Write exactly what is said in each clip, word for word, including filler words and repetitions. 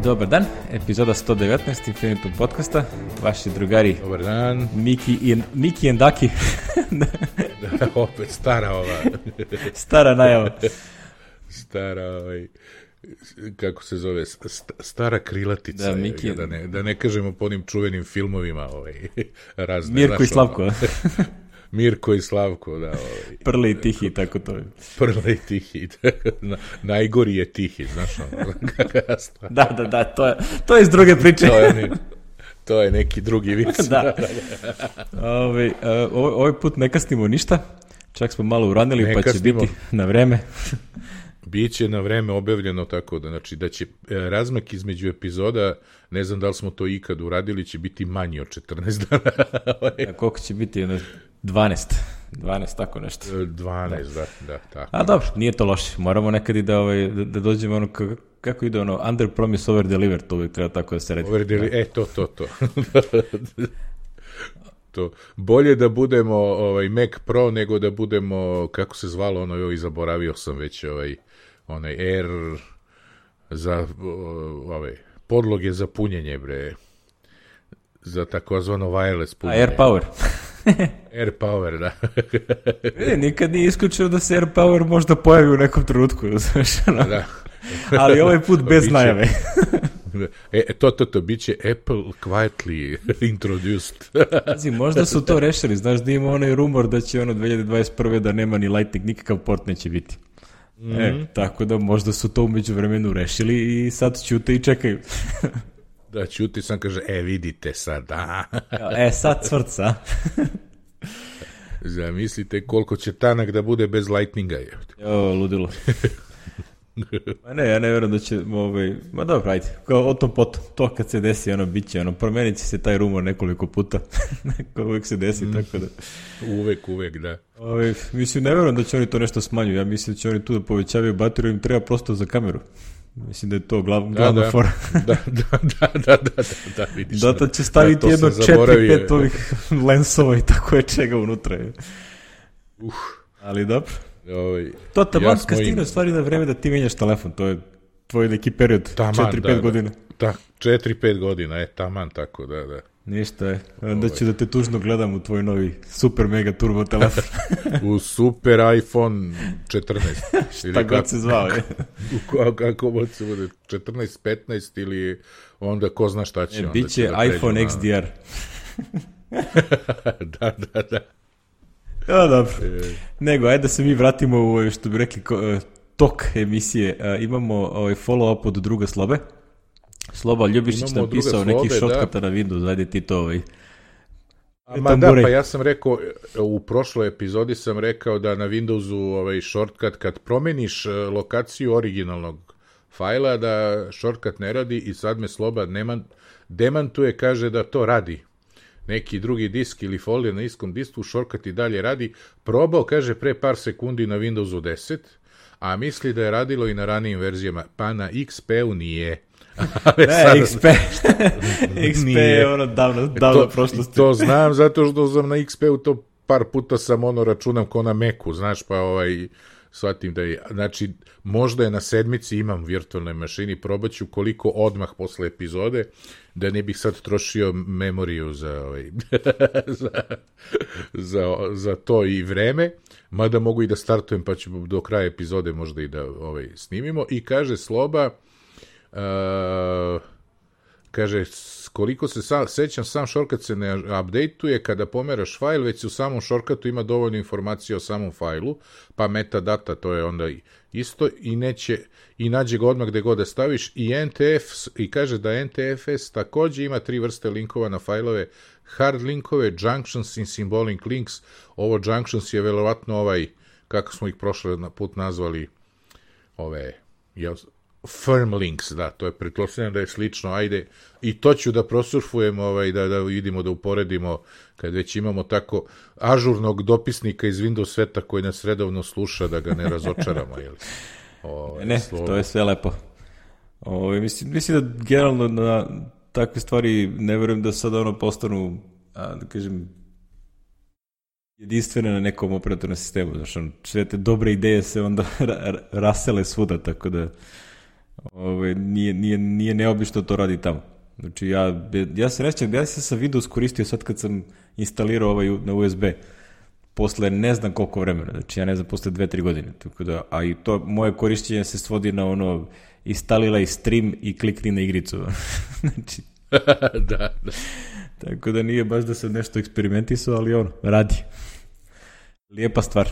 Dobar dan, epizoda sto devetnaest Infinitum podcasta, vaši drugari. Dobar dan. Miki i, Miki and Daki. Da, opet stara ova. Stara najava. Stara, ovaj, kako se zove, st- stara krilatica. Da, Miki. Da ne, da ne kažemo po onim čuvenim filmovima, ovaj, razne. Mirko i Slavko. Mirko i Slavko, da. Ovaj. Prli i Tihi, tako to je. Prli i Tihi. Na, najgori je Tihi, znaš ono. Da, da, da, to je, to je iz druge priče. To je, to je neki drugi vic. Da. Ovaj, ovaj, ovaj put ne kasnimo ništa, čak smo malo uranili, ne pa će kasnimo. Biti na vreme. Biće na vreme objavljeno tako da, znači, da će razmak između epizoda, ne znam da li smo to ikad uradili, će biti manji od četrnaest dana. A koliko će biti? dvanaest. dvanaest, tako nešto. dvanaest, da, da, da tako. A dobro, nije to loše. Moramo nekad i da, ovaj, da, da dođemo ono, kako, kako ide ono, under promise, over deliver, to uvijek treba tako da se redi. Over deliver, e, to, to, to. To. Bolje da budemo ovaj, Mac Pro nego da budemo, kako se zvalo ono, joj, zaboravio sam već ovaj, onaj Air za ovaj, podloge za punjenje, bre, za takozvano wireless punjenje. A Air Power. Air Power, da. E, nikad nije isključio da se Air Power možda pojavi u nekom trenutku, znaš, ono. Da. Ali ovaj put bez biće, najave. E, to, to, to, bit će Apple quietly introduced. Pazi, možda su to rešili, znaš da ima onaj rumor da će ono dve hiljade dvadeset prve da nema ni Lightning, nikakav port neće biti. Mm-hmm. E, tako da možda su to umeđu vremenu rešili i sad ćute i čekaju. Da, ćuti sam, kaže, e, vidite sad, a. E, sad cvrca. Zamislite koliko će tanak da bude bez Lightninga. Jo, ludilo. Ma ne, ja ne vjerujem da će, ovaj, ma dobro, ajde, kao o tom potom, to kad se desi, ono, bit će, ono, promenit će se taj rumor nekoliko puta, neko uvek se desi, mm. tako da. Uvek, uvek, da. Ovaj, mislim, ne vjerujem da će oni to nešto smanjuju, ja mislim da će oni tu da povećavaju bateriju, im treba prosto za kameru. Mislim da je to glav, glavna da, da. fora. da, da, da, da, da, da, vidiš. Da, to će staviti da, jedno četiri pet ovih lensova i tako je čega unutra. Uh. Ali dobro. Ovaj, to taman ja kad stigne stvari na vreme da ti menjaš telefon, to je tvoj neki period, četiri pet da, godina. Da, četiri pet godina, je taman tako, da, da. Ništa je, onda ću da te tužno gledam u tvoj novi super mega turbo telefon. U super iPhone četrnaest. Šta god kako, se zvao, je. Kako god se bude, četrnaest, petnaest ili onda ko zna šta će. E, onda biće će da iPhone na... X D R. da, da, da. Ja, dobro. E... Nego, ajde da se mi vratimo u, što bi rekli, tok emisije. Uh, imamo ovaj follow-up od druga Slobe. Sloba Ljubišić nam pisao neki shortcuta na Windows, ajde ti to ovaj. Ma da, pa ja sam rekao, u prošloj epizodi sam rekao da na Windowsu ovaj shortcut, kad promeniš lokaciju originalnog fajla, da shortcut ne radi i sad me Sloba neman, demantuje, kaže da to radi. Neki drugi disk ili folder na istom disku, shortcut i dalje radi. Probao, kaže, pre par sekundi na Windowsu deset, a misli da je radilo i na ranijim verzijama, pa na X P-u nije. Ne, sada... X P. X P je ono davno, davno to, prošlosti. To znam zato što sam na X P-u to par puta sam ono računam ko na Macu, znaš, pa ovaj, shvatim da je, znači, možda je na sedmici imam virtualnoj mašini, probaću koliko odmah posle epizode, da ne bih sad trošio memoriju za, ovaj, za, za, za to i vreme, mada mogu i da startujem, pa ću do kraja epizode možda i da ovaj, snimimo. I kaže Sloba, Uh, kaže, koliko se sa, sećam, sam shortcut se ne updateuje kada pomeraš fajl, već se u samom shortcutu ima dovoljno informacija o samom fajlu, pa metadata, to je onda isto, i neće, i nađe ga odmah gde god da staviš, i N T F, i kaže da N T F S takođe ima tri vrste linkova na fajlove, hard linkove, junctions i symbolic links. Ovo junctions je verovatno ovaj, kako smo ih prošle put nazvali, ove, jel, firm links, da, to je pretpostavljam da je slično, ajde, i to ću da prosurfujem, ovaj, da, da vidimo, da uporedimo, kad već imamo tako ažurnog dopisnika iz Windows sveta koji nas redovno sluša, da ga ne razočaramo, jel? Ovaj, ne, slovo. To je sve lepo. Ovaj, mislim, mislim da generalno na takve stvari ne verujem da sad ono postanu, a, da kažem, jedinstvene na nekom operatornom sistemu, znači sve te dobre ideje se onda rasele svuda, tako da Ove, nije, nije, nije neobično to radi tamo. Znači, ja, ja se rećem, ja sam sa Windows koristio sad kad sam instalirao ovaj na U S B, posle ne znam koliko vremena, znači ja ne znam, posle dve, tri godine, tako da, a i to moje korišćenje se svodi na ono, instaliraj stream i klikni na igricu. Znači, da, da. Tako da nije baš da se nešto eksperimentisao, ali ono, radi. Lijepa stvar.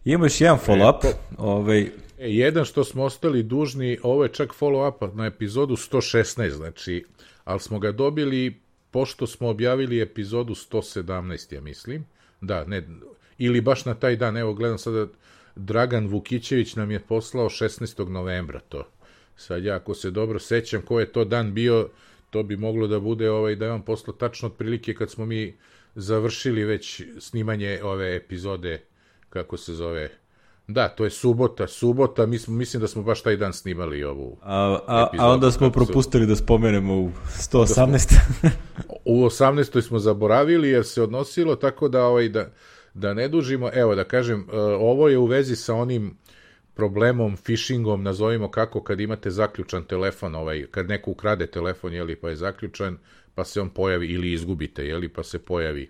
Imamo još jedan follow-up. Ovaj... E, jedan što smo ostali dužni, ovo je čak follow-up na epizodu sto šesnaest, znači, ali smo ga dobili pošto smo objavili epizodu sto sedamnaest, ja mislim. Da, ne, ili baš na taj dan, evo gledam sada, Dragan Vukićević nam je poslao šesnaestog novembra to. Sad ja, ako se dobro sećam ko je to dan bio, to bi moglo da bude ovaj, da je on poslao tačno otprilike kad smo mi završili već snimanje ove epizode, kako se zove. Da, to je subota, subota, mi smo, mislim da smo baš taj dan snimali ovu a, a, epizodu. A onda smo propustili da spomenemo u sto osamnaest. U osamnaestoj smo zaboravili jer se odnosilo, tako da, ovaj, da, da ne dužimo. Evo da kažem, ovo je u vezi sa onim problemom, phishingom, nazovimo kako, kad imate zaključan telefon, ovaj, kad neko ukrade telefon, jeli, pa je zaključan, pa se on pojavi, ili izgubite, jeli, pa se pojavi.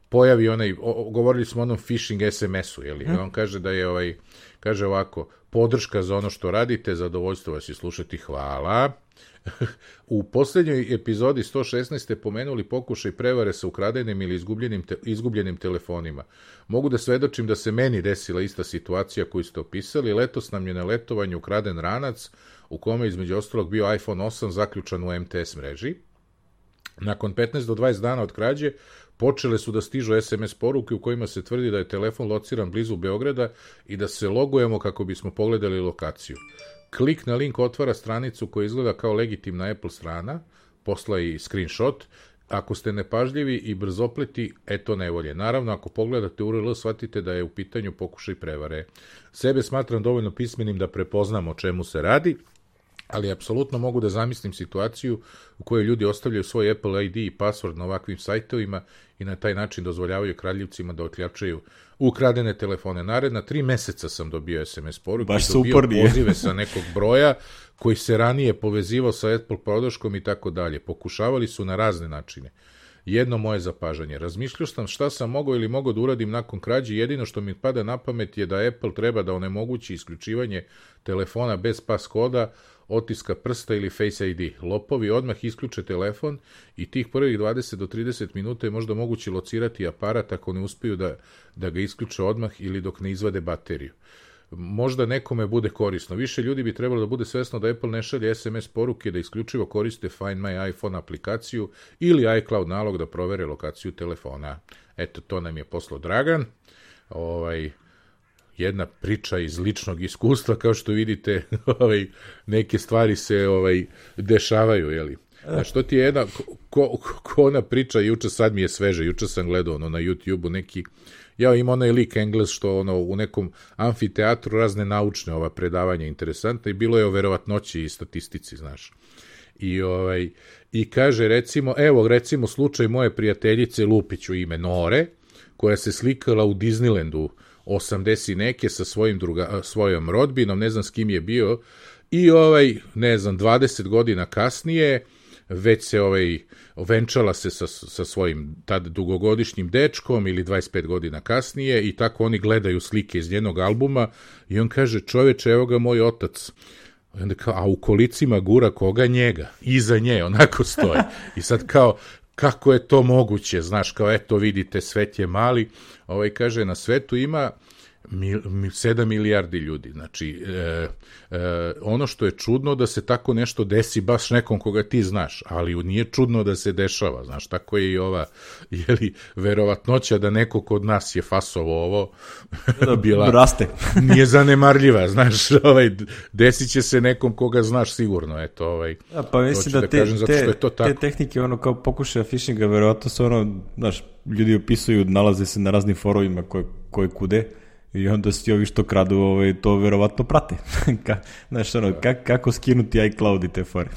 Pojavi onaj, o, govorili smo o onom phishing es em esu, jeli, hmm. on kaže da je, ovaj, kaže ovako, podrška za ono što radite, zadovoljstvo vas je slušati, hvala. U posljednjoj epizodi sto šesnaest ste pomenuli pokušaj prevare sa ukradenim ili izgubljenim, te, izgubljenim telefonima. Mogu da svedočim da se meni desila ista situacija koju ste opisali. Letos nam je na letovanju ukraden ranac u kome između ostalog bio iPhone osam zaključan u em te es mreži. Nakon petnaest do dvadeset dana od krađe počele su da stižu es em es poruke u kojima se tvrdi da je telefon lociran blizu Beograda i da se logujemo kako bismo pogledali lokaciju. Klik na link otvara stranicu koja izgleda kao legitimna Apple strana, posla i screenshot. Ako ste nepažljivi i brzopleti, eto nevolje. Naravno, ako pogledate U R L, shvatite da je u pitanju pokušaj prevare. Sebe smatram dovoljno pismenim da prepoznam o čemu se radi, ali apsolutno mogu da zamislim situaciju u kojoj ljudi ostavljaju svoj Apple I D i password na ovakvim sajtovima i na taj način dozvoljavaju kradljivcima da otljačaju ukradene telefone. Naredna tri meseca sam dobio es em es poruke, dobio pozive sa nekog broja koji se ranije povezivao sa Apple podrškom i tako dalje. Pokušavali su na razne načine. Jedno moje zapažanje. Razmišljao sam šta sam mogao ili mogao da uradim nakon krađe. Jedino što mi pada na pamet je da Apple treba da onemogući isključivanje telefona bez pas koda, otiska prsta ili Face I D. Lopovi odmah isključe telefon i tih prvih dvadeset do trideset minuta je možda moguće locirati aparat ako ne uspeju da, da ga isključe odmah ili dok ne izvade bateriju. Možda nekome bude korisno. Više ljudi bi trebalo da bude svesno da Apple ne šalje es em es poruke, da isključivo koriste Find My iPhone aplikaciju ili iCloud nalog da provere lokaciju telefona. Eto, to nam je poslao Dragan. Ovaj... jedna priča iz ličnog iskustva, kao što vidite, ovaj, neke stvari se ovaj, dešavaju, jeli. A što ti je jedna, ko, ko ona priča, juče sad mi je sveže, juče sam gledao ono, na YouTube-u neki, ja ima onaj lik Engles što ono, u nekom amfiteatru razne naučne ova predavanja interesantne i bilo je o verovatnoći i statistici, znaš. I, ovaj, i kaže, recimo, evo, recimo slučaj moje prijateljice Lupiću ime Nore, koja se slikala u Disneylandu osamdeset neke sa svojim druga, svojom rodbinom, ne znam s kim je bio, i ovaj, ne znam, dvadeset godina kasnije, već se ovaj, venčala se sa, sa svojim tad dugogodišnjim dečkom ili dvadeset pet godina kasnije i tako oni gledaju slike iz njenog albuma i on kaže, čoveče, evo ga moj otac. I onda kao, a u kolicima gura koga? Njega. Iza nje, onako stoje. I sad kao, kako je to moguće, znaš, kao eto vidite, svet je mali, ovaj kaže, na svetu ima mil, sedam milijardi ljudi, znači e, e, ono što je čudno da se tako nešto desi baš nekom koga ti znaš, ali nije čudno da se dešava, znaš, tako je i ova, jeli, verovatnoća da neko kod nas je fasovo ovo, bila, raste. Nije zanemarljiva, znaš, ovaj, desit će se nekom koga znaš sigurno, eto, ovaj, ja, pa mislim da, da te, kažem, zato što je to tako. Te tehnike, ono, kao pokušaja phishinga, verovatno su ono, znaš, ljudi opisuju, nalaze se na raznim forovima koje, koje kude, i onda svi ovi što kradu ovaj, to verovatno prate. Ka, znaš, ono, kak, kako skinuti iCloud i te fore.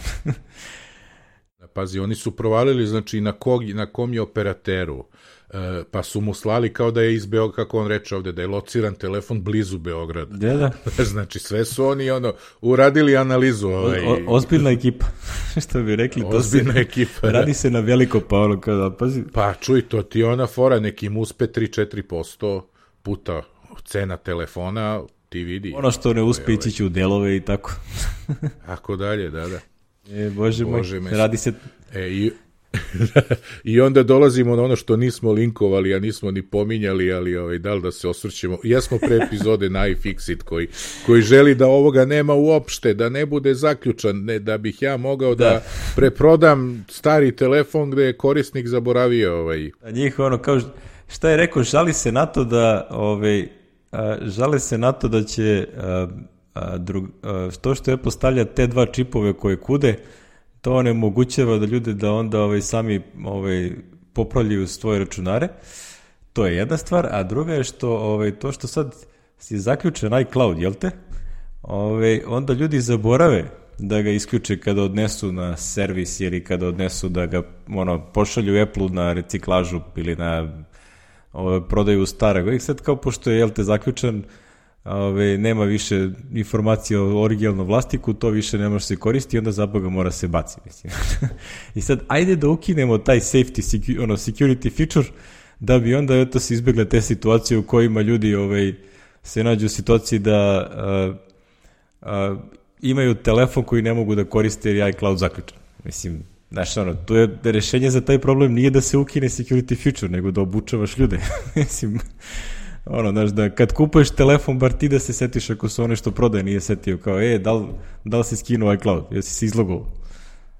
Pazi, oni su provalili, znači, na, kog, na kom je operateru, e, pa su mu slali kao da je iz Beograda, kako on reče ovde, da je lociran telefon blizu Beograda. Da, da. Znači, sve su oni, ono, uradili analizu. Ovaj... O, o, ozbiljna ekipa, što bi rekli. Ozbiljna to se, ekipa, radi se na veliko, pa ono, kada, pazi. Pa, čuj, to ti ona fora, nekim uspe tri do četiri posto puta cena telefona, ti vidi. Ono što ne uspe ići će u delove i tako. Ako dalje, da, da. E, Bože, Bože moj, radi se... E, i, I onda dolazimo na ono što nismo linkovali, a nismo ni pominjali, ali ovaj, da li da se osvrćemo. Jesmo pre epizode na iFixit koji, koji želi da ovoga nema uopšte, da ne bude zaključan, ne, da bih ja mogao da, da preprodam stari telefon gde je korisnik zaboravio. Ovaj. A njih ono, kao šta je rekao, žali se na to da, ovaj, a, žale se na to da će... A, A drug, a, to što je postavlja te dva čipove koje kude, to onemogućava da ljude da onda ovaj, sami ovaj, popravljaju svoje računare. To je jedna stvar, a druga je što ovaj, to što sad si zaključen iCloud, jel te? Ovaj, onda ljudi zaborave da ga isključe kada odnesu na servis ili kada odnesu da ga ono, pošalju Apple-u na reciklažu ili na ovaj, prodaju starog. I sad kao pošto je jel te zaključan, Ove, nema više informacija o originalnom vlasniku, to više ne može se koristiti i onda zaboga mora se baci. Mislim. I sad, ajde da ukinemo taj safety, secu, ono, security feature, da bi onda eto, se izbjegle te situacije u kojima ljudi ovaj, se nađu u situaciji da a, a, imaju telefon koji ne mogu da koriste jer je iCloud zaključan. Mislim, znaš, ono, to je rešenje za taj problem nije da se ukine security feature, nego da obučavaš ljude. Mislim... Ono, znaš, da kad kupuješ telefon, bar ti da se setiš ako su one što prodaje nije setio, kao, e, da li, da li si skinuo iCloud, jesi se izlogovao?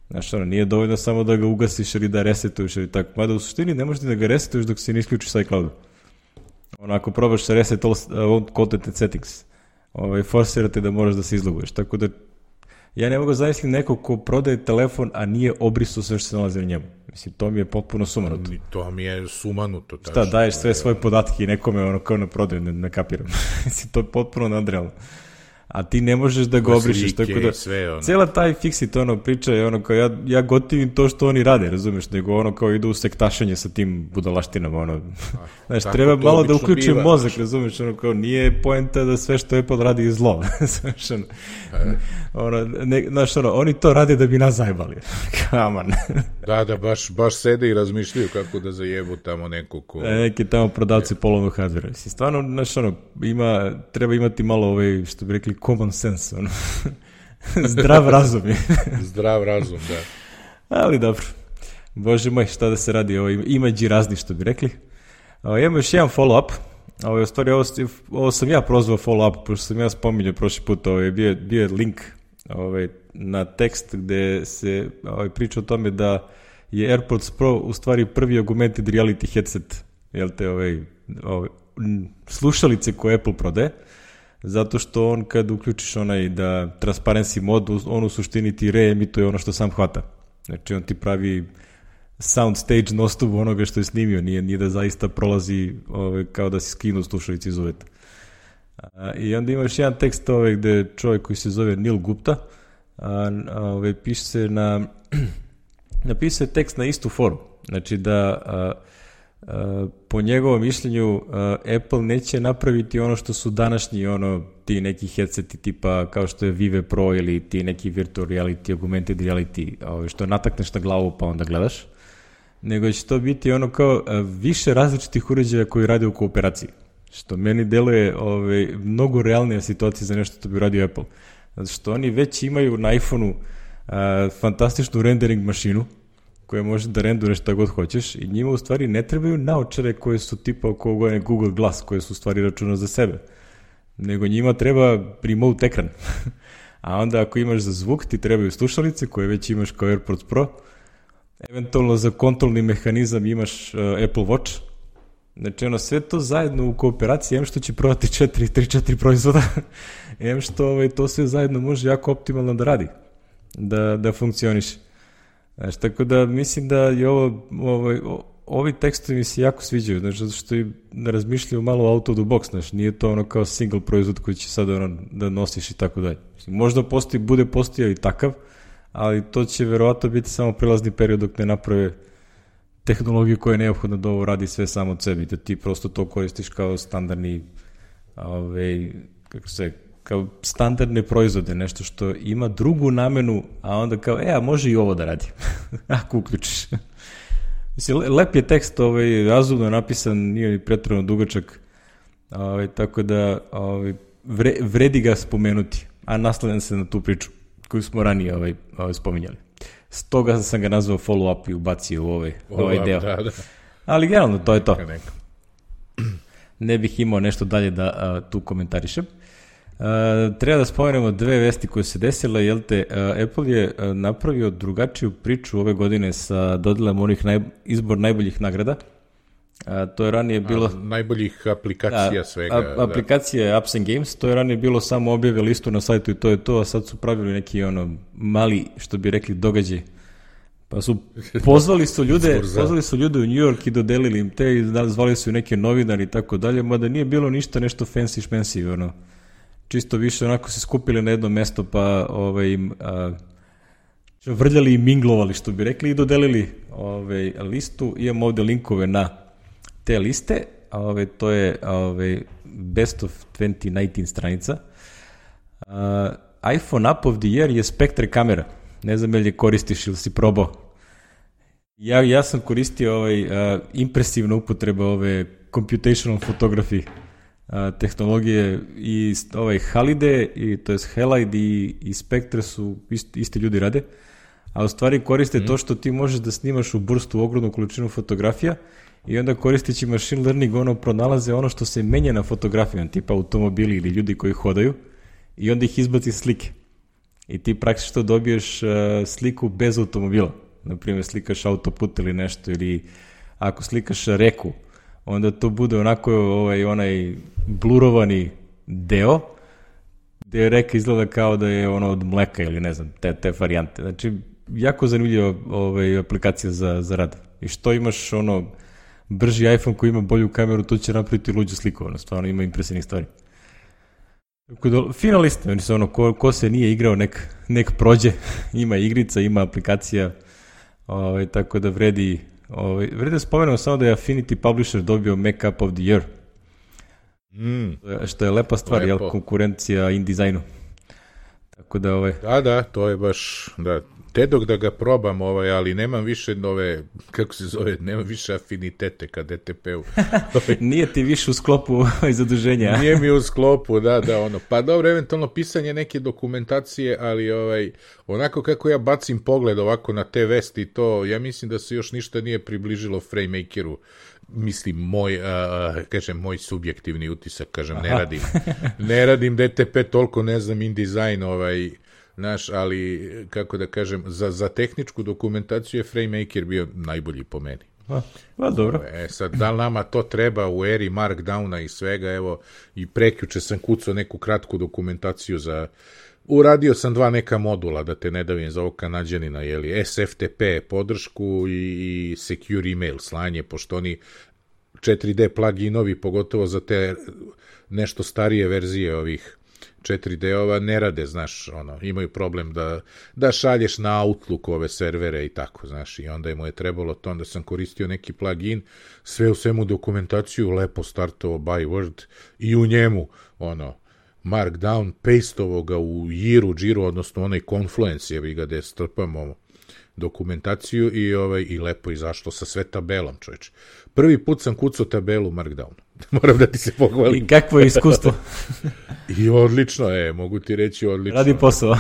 Znaš, ono, nije dovoljno samo da ga ugasiš ili da resetuješ ili tako, mada u suštini ne možeš da ga resetuješ dok se ne isključiš sa iCloudu. Ono, ako probaš sa reset all, all content and settings, ovaj, forsirate da moraš da se izloguješ, tako da ja ne mogu zamisliti neko ko prodaje telefon, a nije obrisao sve što se nalazi na njemu. Mislim, to mi je potpuno sumanuto. To mi je sumanuto. Šta, tačno, daješ sve svoje podatke i nekome ono kao na prodaju, ne, ne kapiram. Mislim, to je potpuno nadrealno. A ti ne možeš da ga obrišeš, tako da sve, ono. Cijela taj Fixit ono priča je ono kao ja, ja gotivim to što oni rade, razumeš, nego ono kao idu u sektašenje sa tim budalaštinama, ono. Znaš, treba malo da uključim biva, mozak, znaš. Razumeš, ono kao nije poenta da sve što Apple radi je zlo. Znaš, ono, ono, ne, znaš, ono, oni to rade da bi nas zajebali. Kaman. Da, da, baš, baš sede i razmišljaju kako da zajebu tamo neko ko... E, neki tamo prodavci polovnog hardvera. Stvarno, znaš, ono, ima, treba imati malo ovaj, što bi rekli, common sense, ono. Zdrav razum je. Zdrav razum, da. Ali dobro. Bože moj, šta da se radi, ovo imađi razni, što bi rekli. Ovo, imamo još jedan follow-up. Ovo, u stvari, ovo, ovo sam ja prozvao follow-up, pošto sam ja spominjao prošli put, ovo je bio, bio link ovaj, na tekst gde se ovaj, priča o tome da je AirPods Pro u stvari prvi augmented reality headset, jel te, ovaj, ovaj, slušalice koje Apple prodaje, zato što on kad uključiš onaj da transparency mod, on u suštini ti reemituje ono što sam hvata. Znači on ti pravi sound stage nostup onoga što je snimio, nije, nije da zaista prolazi ovaj, kao da si skinuo slušalici iz uveta. A, I onda imaš jedan tekst ovaj, gde čovjek koji se zove Neil Gupta a, a, ovaj, piše se na napisao je tekst na istu foru. Znači da a, a, po njegovom mišljenju a, Apple neće napraviti ono što su današnji ono ti neki headseti tipa kao što je Vive Pro ili ti neki virtual reality, augmented reality, ovaj, što natakneš na glavu pa onda gledaš, nego će to biti ono kao a, više različitih uređaja koji rade u kooperaciji. Što meni deluje ovaj, mnogo realnija situacija za nešto što bi radio Apple. Zato što oni već imaju na iPhoneu a, fantastičnu rendering mašinu koja može da renduje šta god hoćeš i njima u stvari ne trebaju naočare koje su tipa oko Google Glass, koje su u stvari računa za sebe. Nego njima treba remote ekran. A onda ako imaš za zvuk ti trebaju slušalice koje već imaš kao AirPods Pro. Eventualno za kontrolni mehanizam imaš uh, Apple Watch. Znači ono sve to zajedno u kooperaciji, em što će prodati četiri, tri, četiri proizvoda, em što ovaj, to sve zajedno može jako optimalno da radi, da, da funkcioniše. Znači, tako da mislim da je ovo, ovaj, ovi tekstovi mi se jako sviđaju, znači, zato što i razmišljaju malo out of the box, znači, nije to ono kao single proizvod koji će sad ono, da nosiš i tako dalje. Možda postoji, bude postojao i takav, ali to će verovatno biti samo prilazni period dok ne naprave tehnologiju koja je neophodna da ovo radi sve samo od sebi, da ti prosto to koristiš kao standardni, ove, kako se, kao standardne proizvode, nešto što ima drugu namenu, a onda kao, e, a može i ovo da radi, ako uključiš. Mislim, lep je tekst, ovaj, razumno napisan, nije ni pretredno dugačak, ovaj, tako da ovaj, vre, vredi ga spomenuti, a naslanjam se na tu priču koju smo ranije ovaj, ovaj, spominjali. Stoga sam ga nazvao follow-up i ubacio u ovaj, ovaj deo. Da, da. Ali generalno, to je to. Neka, neka. Ne bih imao nešto dalje da a, tu komentarišem. A, treba da spomenemo dve vesti koje se desile, jel te, a, Apple je a, napravio drugačiju priču ove godine sa dodelom onih naj, izbor najboljih nagrada. A, to je ranije bilo... A, najboljih aplikacija da, svega. A, aplikacije da. Apps and Games, to je ranije bilo samo objave listu na sajtu i to je to, a sad su pravili neki ono mali, što bi rekli, događaj. Pa su pozvali su ljude, pozvali su ljude u New York i dodelili im te i zvali su neke novinari i tako dalje, mada nije bilo ništa nešto fancy šmensi, ono. Čisto više onako se skupili na jedno mesto pa ovaj, im a, vrljali i minglovali, što bi rekli, i dodelili ovaj, listu. Imamo ovde linkove na te liste, ove, to je ove, Best of dvanaest devetnaest stranica. Uh, iPhone App of the Year je Spectre kamera. Ne znam je li je koristiš ili si probao. Ja, ja sam koristio ovaj, uh, impresivnu upotrebu ove computational photography uh, tehnologije i ovaj Halide, i, to je Halide i, i Spectre su isti, isti ljudi rade, a u stvari koriste mm. to što ti možeš da snimaš u burstu ogromnu količinu fotografija i onda koristeći machine learning ono pronalaze ono što se menja na fotografijama, tipa automobili ili ljudi koji hodaju, i onda ih izbaci slike. I ti praktično dobiješ uh, sliku bez automobila. Naprimjer, slikaš autoput ili nešto, ili ako slikaš reku, onda to bude onako ovaj, onaj blurovani deo, gde reka izgleda kao da je ono od mleka ili ne znam, te, te varijante. Znači, jako zanimljiva ovaj, aplikacija za, za rad. I što imaš ono brži iPhone koji ima bolju kameru, to će napraviti luđu sliku, ono, stvarno ima impresivnih stvari. Finaliste, oni su ono, ko, ko se nije igrao, nek, nek prođe, ima igrica, ima aplikacija, ovaj, tako da vredi, ovaj, vredi da spomenemo samo da je Affinity Publisher dobio Mac App of the Year, mm. što je lepa stvar, jel, konkurencija InDesignu. Tako da, ovaj... Da, da, to je baš, da, te dok da ga probam, ovaj, ali nemam više nove, kako se zove, nemam više afinitete ka D T P-u. Nije ti više u sklopu zaduženja. Nije mi u sklopu, da, da, ono, pa dobro, eventualno pisanje neke dokumentacije, ali ovaj, onako kako ja bacim pogled ovako na te vesti, to, ja mislim da se još ništa nije približilo FrameMakeru. Mislim, moj, a, kažem, moj subjektivni utisak, kažem, ne radim, ne radim D T P, toliko ne znam InDesign, ovaj, naš, ali, kako da kažem, za, za tehničku dokumentaciju je FrameMaker bio najbolji po meni. A, a dobro. E, sad, da li nama to treba u eri Markdowna i svega, evo, i prekjuče sam kucao neku kratku dokumentaciju za, uradio sam dva neka modula, da te ne davim za ovog Kanađanina, jeli, S F T P podršku i, i Secure Email slanje, pošto oni četiri D pluginovi, pogotovo za te nešto starije verzije ovih četiri D-ova, ne rade, znaš, ono, imaju problem da, da šalješ na Outlook ove servere i tako, znaš, i onda mu je trebalo to, onda sam koristio neki plugin, sve u svemu dokumentaciju, lepo startovao by Word i u njemu, ono, Markdown, pastovo ga u Jiru, Jiru, odnosno onaj Confluence, jevi ga gde strpamo dokumentaciju i, ovaj, i lepo izašlo sa sve tabelom, čovječ. Prvi put sam kucao tabelu Markdown. Moram da ti se pohvalim. I kakvo je iskustvo? I odlično, e, mogu ti reći odlično. Radi posao.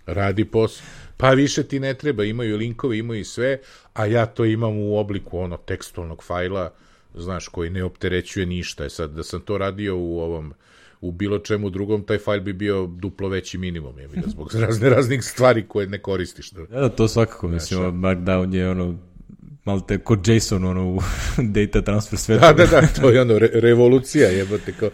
Radi posao. Pa više ti ne treba, imaju linkove, imaju i sve, a ja to imam u obliku ono tekstualnog fajla, znaš, koji ne opterećuje ništa. E sad, da sam to radio u ovom u bilo čemu drugom, taj fajl bi bio duplo veći minimum, je mi da zbog razne raznih stvari koje ne koristiš. Da, da to svakako, mislim, Markdown je ono, malo te kod JSON, ono, u data transfer svetu. Da, da, da, to je ono, re, revolucija, jebate, kao,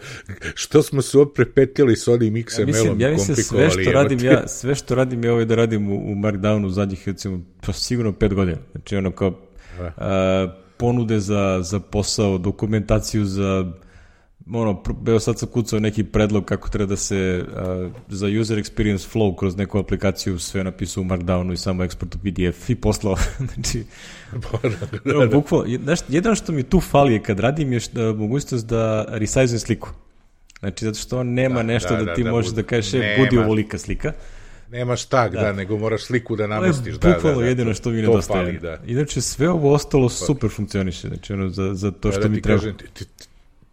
što smo se opet s onim X M L-om, ja mislim, ja mislim sve što radim, ja, sve što radim je ovaj da radim u, u Markdownu zadnjih, recimo, pa sigurno pet godina. Znači, ono, kao, a, ponude za, za posao, dokumentaciju za ono, evo sad sam kucao neki predlog kako treba da se uh, za user experience flow kroz neku aplikaciju sve napisao u Markdownu i samo eksport u P D F i poslao. Znači, no, bukvalno, jedno što mi tu fali je kad radim je što, mogućnost da resize sliku. Znači, zato što on nema da, nešto da, da ti da, možeš da, da kažeš, budi ovolika slika. Nemaš tag, da. da, nego moraš sliku da namestiš. To je bukvalno da, da, jedino što mi nedostaje. Da. Inače, sve ovo ostalo super funkcioniše, znači, ono, za, za to što da, da mi treba. Kažem, ti,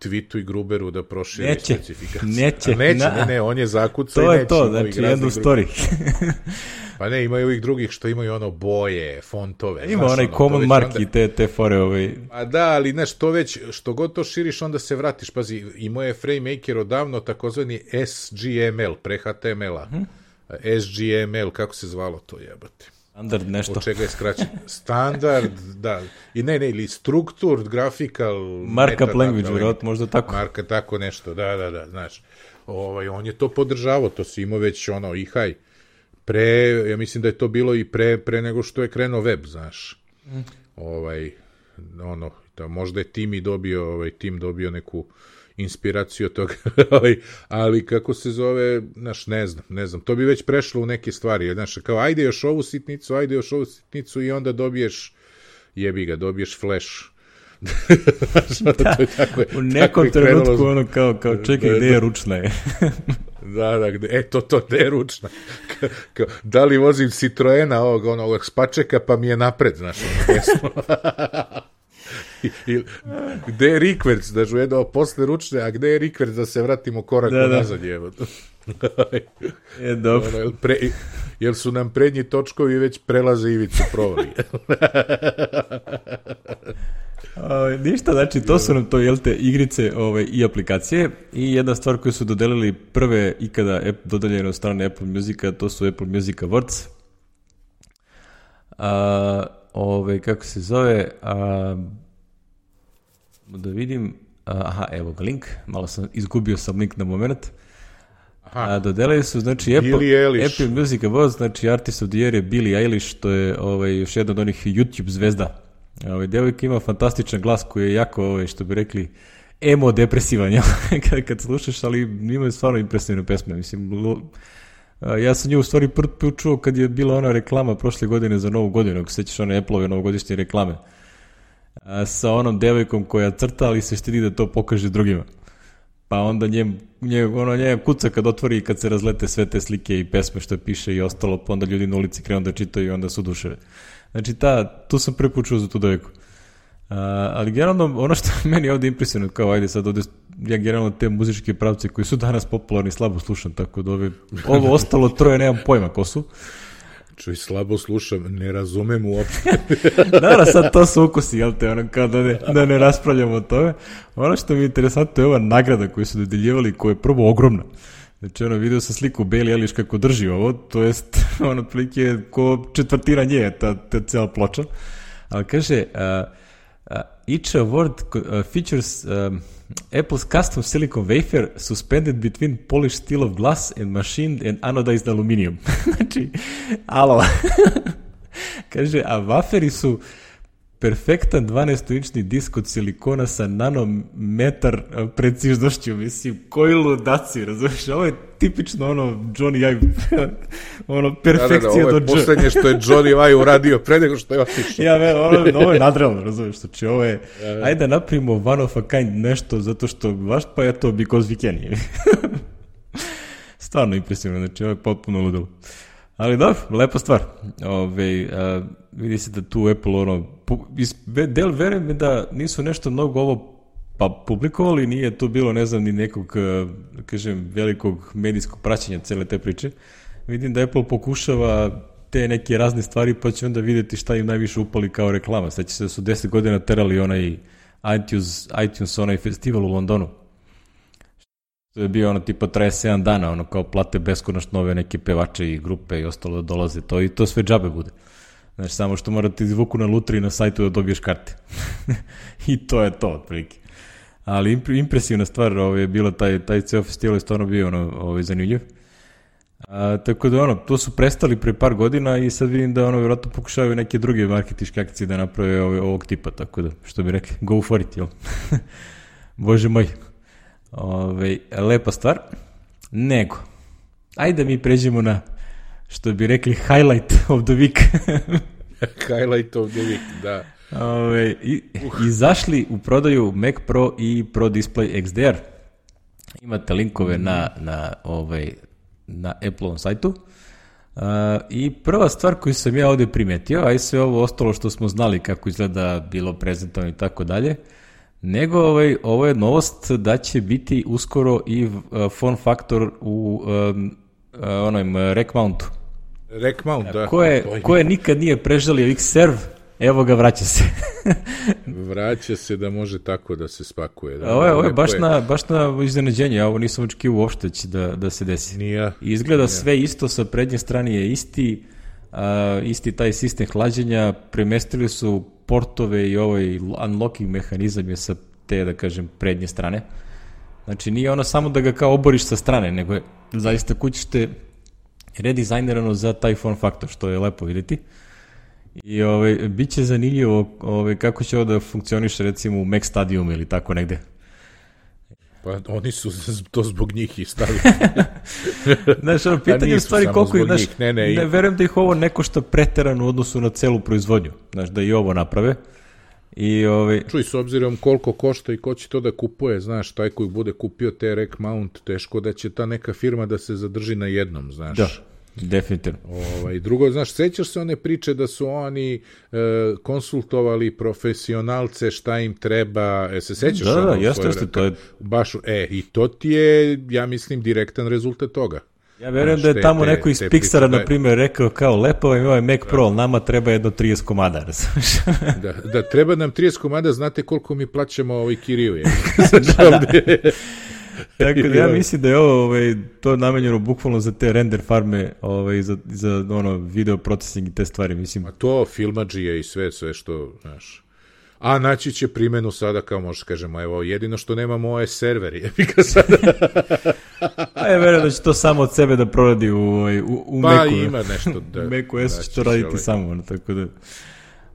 Twitu i Gruberu da proširi neće, specifikaciju. Neće, neće. Na, ne, ne, on je zakucao i neće. To je to, znači, jednu story. Pa ne, imaju ovih drugih što imaju ono boje, fontove. Ima onaj ono, common mark onda... i te, te fore. Ovaj... A da, ali znaš, to već, što god to širiš, onda se vratiš. Pazi, imao je FrameMaker odavno takozvani S G M L, pre H T M L-a. Hmm? S G M L, kako se zvalo to, jebate? Standard nešto. Od čega je skraćen? Standard, da. I ne, ne, ili Structured Graphical... Markup language, vjerojatno, možda tako. Marka, tako nešto, da, da, da, znaš. Ovaj, on je to podržavao, to si imao već ono, i haj. Pre, ja mislim da je to bilo i pre, pre nego što je krenuo web, znaš. Mm. Ovaj, ono, da, možda je Tim i dobio, ovaj, Tim dobio neku inspiraciju od toga, ali kako se zove, znaš, ne znam, ne znam, to bi već prešlo u neke stvari, znaš, kao ajde još ovu sitnicu, ajde još ovu sitnicu i onda dobiješ, jebi ga, dobiješ flash. Da, to je tako, u nekom trenutku krenulo... ono kao, kao čekaj, gde je ručna je? Da, da, gde, e, to, to, gde je ručna? Ka, ka, da li vozim Citroena ovog, onog spačeka, pa mi je napred, znaš, ono, desno. I, i, gde je rikverc, da žu jedno posle ručne, a gde je rikverc da se vratimo korak da, nazad, jevo. Je dobro. Ono, jel, pre, jel su nam prednji točkovi već prelaze ivicu provali. O, ništa, znači to su nam to, jel te, igrice ove, i aplikacije i jedna stvar koju su dodelili prve ikada dodeljene od strane Apple Musica, to su Apple Music Awards. A, ove, kako se zove, a, da vidim, aha, evo ga link, malo sam izgubio sam link na moment. A, dodelili su, znači, Apple, Apple Music Awards, znači Artist of the Year je Billie Eilish, to je ovaj, još jedna od onih YouTube zvezda. Ovaj, devojka ima fantastičan glas koji je jako, ovaj, što bi rekli, emo depresivan, ja? kad, kad slušaš, ali ima stvarno impresivne pesme, mislim, ja sam nju u stvari prvi put čuo kad je bila ona reklama prošle godine za Novu godinu, ako sećaš one Apple-ove novogodišnje reklame, a, sa onom devojkom koja crta, ali se štedi da to pokaže drugima. Pa onda njem, njem, ono, njem kuca kad otvori i kad se razlete sve te slike i pesme što piše i ostalo, pa onda ljudi na ulici krenu da čitaju i onda su duševe. Znači, ta, tu sam prvi put čuo za tu devojku. A, ali generalno, ono što meni ovdje impresivno, kao ajde sad ovdje, ja generalno te muzičke pravce koji su danas popularni slabo slušam, tako da ove, ovo ostalo troje nemam pojma ko su. Čuj, slabo slušam, ne razumem uopšte. Naravno, sad to su ukusi, jel te, ono, kao da ne, da ne raspravljamo o tome. Ono što mi je interesantno je ova nagrada koju su dodeljivali, koja je prvo ogromna. Znači, ono, vidio sam sliku Billie Eilish kako drži ovo, to jest, ono, prilike ko četvrtina nje, ta, ta cijela ploča. Ali kaže, uh, uh, each award uh, features um, Apple's custom silicon wafer suspended between polished steel of glass and machined and anodized aluminum. Znači, alo. Kaže, a waferi su perfektan dvanaestoinčni disk od silikona sa nanometar preciznošću, mislim, koji ludaci, razumiješ, ovo je tipično ono Johnny Ive, ono perfekcija do dž. Ovo je poslednje što je Johnny Ive uradio pre nego što je otišao. Ja, me, ovo, ovo je nadrealno, razumiješ, znači ovo je, ajde da napravimo one of a kind nešto, zato što baš pa je to because we can. Stvarno impresivno, znači ovo je potpuno ludilo. Ali dobro, lepa stvar. Ove, a, vidi se da tu Apple ono, pu, iz, del verujem mi da nisu nešto mnogo ovo pa publikovali, nije tu bilo, ne znam, ni nekog, kažem, velikog medijskog praćenja cele te priče. Vidim da Apple pokušava te neke razne stvari, pa će onda vidjeti šta im najviše upali kao reklama. Sveća se da su deset godina terali onaj iTunes, iTunes onaj festival u Londonu. To je bio ono tipa traje sedam dana, ono kao plate beskonačno nove neke pevače i grupe i ostalo da dolaze to i to sve džabe bude. Znači samo što morate izvuku na lutri na sajtu da dobiješ karte. I to je to otprilike. Ali impresivna stvar ovaj, je bila taj, taj ceo festival je stvarno bio ono, ovaj, zanimljiv. A, tako da ono, to su prestali pre par godina i sad vidim da ono vjerojatno pokušavaju neke druge marketiške akcije da naprave ovaj, ovog tipa, tako da što bi rekli, go for it, jel? Bože moj. Ove, lepa stvar. Nego, ajde mi pređemo na, što bi rekli, highlight of the week. Highlight of the week, da. Ove, i, uh. Izašli u prodaju Mac Pro i Pro Display X D R. Imate linkove na, na, ovaj, na Apple-ovom sajtu. Uh, I prva stvar koju sam ja ovdje primetio, a i sve ovo ostalo što smo znali kako izgleda, bilo prezentovano i tako dalje, nego ovaj, ovo je novost da će biti uskoro i uh, form factor u um, uh, onom uh, rack mountu. Rack mount, da. Ko je, ko je nikad nije prežalio X-Serve, evo ga, vraća se. Vraća se da može tako da se spakuje. Da. Ovo je, ovo je baš, na, baš na iznenađenje, ja ovo nisam očekivao uopšte će da, da se desi. Nija, izgleda nija. Sve isto, sa prednje strane je isti, a, isti taj sistem hlađenja, premestili su portove i ovaj unlocking mehanizam je sa te, da kažem, prednje strane. Znači nije ono samo da ga kao oboriš sa strane, nego je zaista kućište redizajnirano za taj form factor, što je lepo vidjeti. I ovaj, bit će zanimljivo ovaj, kako će ovo da funkcioniše recimo u Mac Stadium ili tako negde. Pa oni su to zbog njih i stavili. Znaš, ono, pitanje u stvari koliko je, znaš, ne, ne, ne verujem da ih ovo ne košta preterano u odnosu na celu proizvodnju, znaš, da i ovo naprave. I, ovaj... Čuj, s obzirom koliko košta i ko će to da kupuje, znaš, taj koji bude kupio te rack mount, teško da će ta neka firma da se zadrži na jednom, znaš. Da. Definitivno. Ovaj, drugo, znaš, sećaš se one priče da su oni e, konsultovali profesionalce šta im treba, e, se sećaš? Da, ono, da, jeste, jeste, to je... Baš, e, i to ti je, ja mislim, direktan rezultat toga. Ja verujem da je tamo te, neko iz Pixara, na primjer, rekao kao, lepo vam je ovaj Mac Pro, nama treba jedno trideset komada, razumiješ? da, da, treba nam trideset komada, znate koliko mi plaćamo ovaj kiriju je. da, da. Tako da ja mislim da je ovo ovaj, to namenjeno bukvalno za te render farme, ovaj, za, za ono, video processing i te stvari, mislim. A to filmadžije i sve, sve što, znaš. A naći će primjenu sada, kao možeš kažemo, evo, jedino što nemamo ovo je server, je ga sada. A ja verujem da će to samo od sebe da proradi u, u, u pa, Macu. Pa ima nešto da... U Macu S će to raditi ovaj. samo, ono, tako da...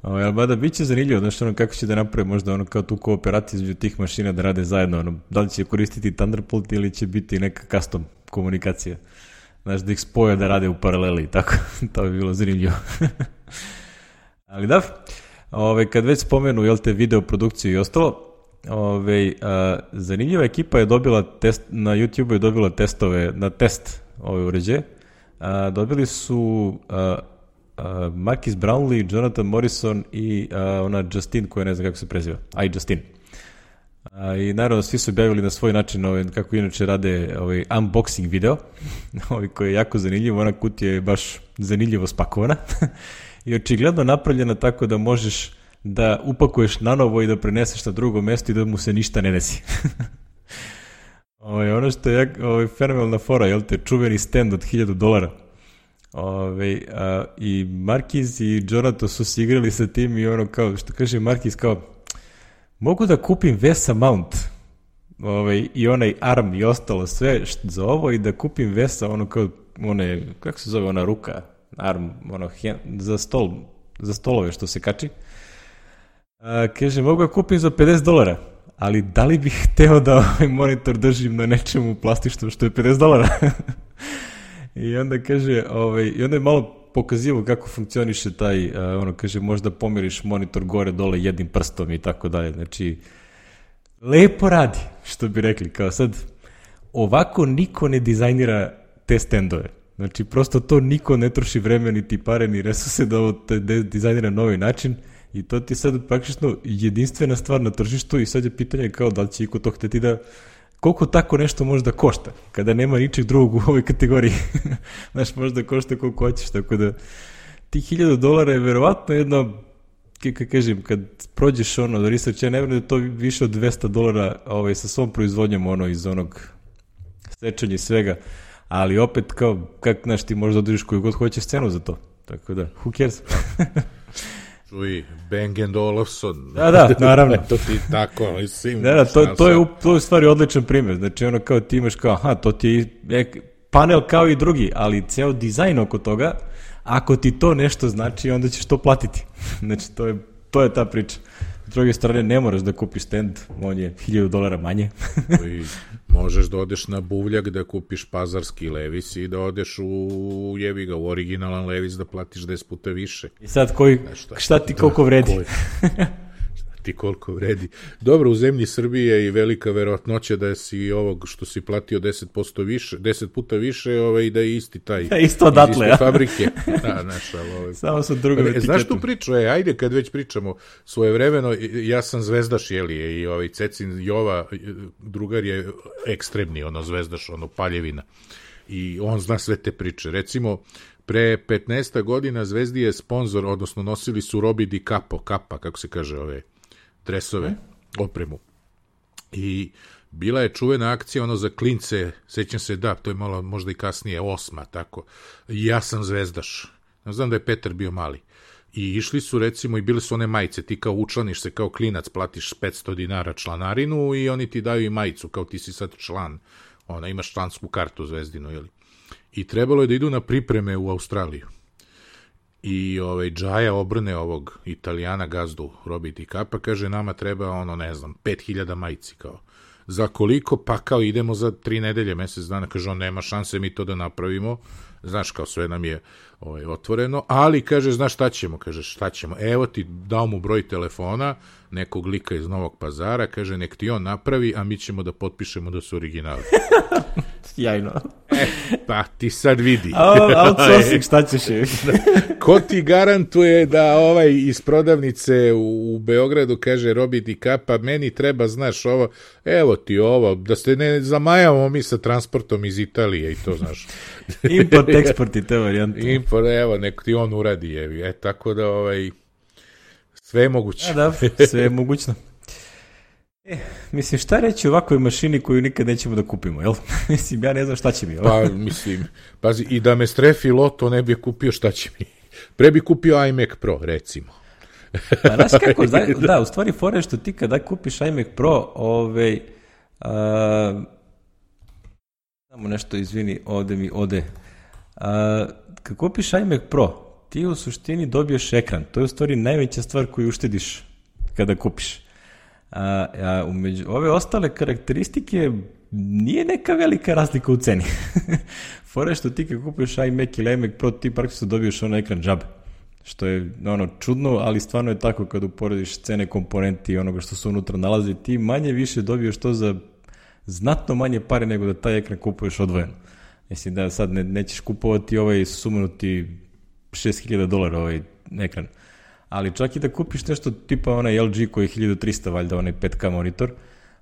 Ali bada, bit će zanimljivo, znaš, ono, kako će da napravi možda ono kao tu kooperaciju između tih mašina da rade zajedno, ono, da li će koristiti Thunderbolt ili će biti neka custom komunikacija, znaš, da ih spoje da rade u paraleli, tako, to bi bilo zanimljivo. Ali da, ove, kad već spomenu, jel te, video produkciju i ostalo, ove, a, zanimljiva ekipa je dobila test, na YouTube je dobila testove, na test ove uređaje, a, dobili su... A, Uh, Marquis Brownlee, Jonathan Morrison i uh, ona Justine koja ne znam kako se preziva, a i Justine. Uh, I naravno svi su objavili na svoj način ovaj, kako inače rade ovaj, unboxing video ovaj, koji je jako zanimljiv, ona kutija je baš zanimljivo spakovana i očigledno napravljena tako da možeš da upakuješ na novo i da preneseš na drugo mesto i da mu se ništa ne desi. ovaj, ono što je ovaj, fenomenalna fora, jel te, čuveni stand od hiljadu dolara. Ove, a, i Marquis i Jonathan su se igrali sa tim i ono kao, što kaže Marquis, kao mogu da kupim Vesa mount ove, i onaj arm i ostalo sve što, za ovo i da kupim Vesa ono kao, one, kako se zove ona ruka, arm, ono, hen, za stol, za stolove što se kači. A, kaže, mogu da kupim za pedeset dolara, ali da li bih hteo da ovaj monitor držim na nečemu plastičnom što je pedeset dolara? I onda kaže, ovaj, i onda je malo pokazivo kako funkcioniše taj, uh, ono kaže, možda pomiriš monitor gore dole jednim prstom i tako dalje. Znači, lepo radi, što bi rekli, kao sad, ovako niko ne dizajnira te stendove. Znači, prosto to niko ne troši vreme, niti pare, ni resurse da ovo te dizajnira na novi način i to ti sad praktično jedinstvena stvar na tržištu i sad je pitanje kao da li će iko to hteti da koliko tako nešto možda košta, kada nema ničeg drugog u ovoj kategoriji. Znaš, možda košta koliko hoćeš, tako da ti hiljadu dolara je verovatno jedno, kako kažem, kad prođeš ono da research, ja ne vjerujem da je to više od dvesta dolara ovaj, sa svom proizvodnjom ono iz onog stečanja i svega, ali opet kao, kak, znaš, ti možda održiš koju god hoćeš cenu za to, tako da, who cares? Čuj, Bang and Olufsen. Da, da, naravno. To ti tako, mislim. Da, da, to, to, je, to je u stvari odličan primjer. Znači, ono kao ti imaš kao, aha, to ti je panel kao i drugi, ali ceo dizajn oko toga, ako ti to nešto znači, onda ćeš to platiti. Znači, to je, to je ta priča. S druge strane, ne moraš da kupiš stand, on je hiljadu dolara manje. I možeš da odeš na buvljak da kupiš pazarski Levis i da odeš u jebi ga, u originalan Levis da platiš deset puta više. I sad koji, šta, šta ti koliko vredi? Ti koliko vredi. Dobro, u zemlji Srbije i velika verovatnoća da si ovog što si platio deset posto više, deset puta više, ovaj, da je isti taj. Ja, isto odatle, ja. Fabrike. Da, naša, ovaj. Samo su drugom etiketom. Znaš tu priču, e, ajde kad već pričamo svojevremeno, ja sam zvezdaš, jeli, i ovaj Cecin Jova, drugar je ekstremni, ono zvezdaš, ono paljevina. I on zna sve te priče. Recimo, pre petnaest godina Zvezdi je sponsor, odnosno nosili su Robi Di Capo, kapa, kako se kaže, ove dresove, opremu. I bila je čuvena akcija, ono za klince, sećam se, da, to je malo možda i kasnije, osma, tako. I ja sam zvezdaš. Znam da je Petar bio mali. I išli su, recimo, i bile su one majice, ti kao učlaniš se kao klinac, platiš petsto dinara članarinu i oni ti daju i majicu, kao ti si sad član, ona, imaš člansku kartu Zvezdinu, jeli? I trebalo je da idu na pripreme u Australiju. I ovaj Džaja obrne ovog Italijana gazdu Robi Di Capa, kaže nama treba ono ne znam pet hiljada majici kao. Za koliko? Pa kao idemo za tri nedelje, mesec dana, kaže on nema šanse mi to da napravimo. Znaš kao sve nam je ovaj, otvoreno, ali kaže znaš šta ćemo, kaže šta ćemo, evo ti dao mu broj telefona nekog lika iz Novog Pazara, kaže nek ti on napravi, a mi ćemo da potpišemo da su originali. Sjajno. E, pa ti sad vidi. Outsourcing, šta ćeš je? Ko ti garantuje da ovaj iz prodavnice u, u Beogradu kaže Robi Di Capa, meni treba, znaš, ovo, evo ti ovo, da se ne zamajamo mi sa transportom iz Italije i to, znaš. Import, eksport i te varijante. Import, evo, nek ti on uradi, jevi. E, tako da, ovaj, sve je moguće. A, da, sve je mogućno. E, mislim, šta reći o ovakvoj mašini koju nikad nećemo da kupimo, jel? Mislim, ja ne znam šta će mi. Pa, mislim, pazi, i da me strefi loto ne bi kupio, šta će mi. Pre bi kupio iMac Pro, recimo. Pa, znaš kako, da, da, u stvari fora je što ti kada kupiš iMac Pro, ovaj, a, samo nešto, izvini, ovde mi ode. A, kad kupiš iMac Pro, ti u suštini dobiješ ekran. To je u stvari najveća stvar koju uštediš kada kupiš. A, a umeđu ove ostale karakteristike nije neka velika razlika u ceni. Fora je što ti kad kupiš iMac ili iMac Pro, ti praktično dobiješ ono ekran džabe. Što je ono čudno, ali stvarno je tako kad uporediš cene komponenti i onoga što se unutra nalazi, ti manje više dobiješ to za znatno manje pare nego da taj ekran kupuješ odvojeno. Mislim da sad ne, nećeš kupovati ovaj sumanuti šest hiljada dolara ovaj ekran. Ali čak i da kupiš nešto tipa onaj L G koji je hiljadu trista, valjda onaj pet K monitor,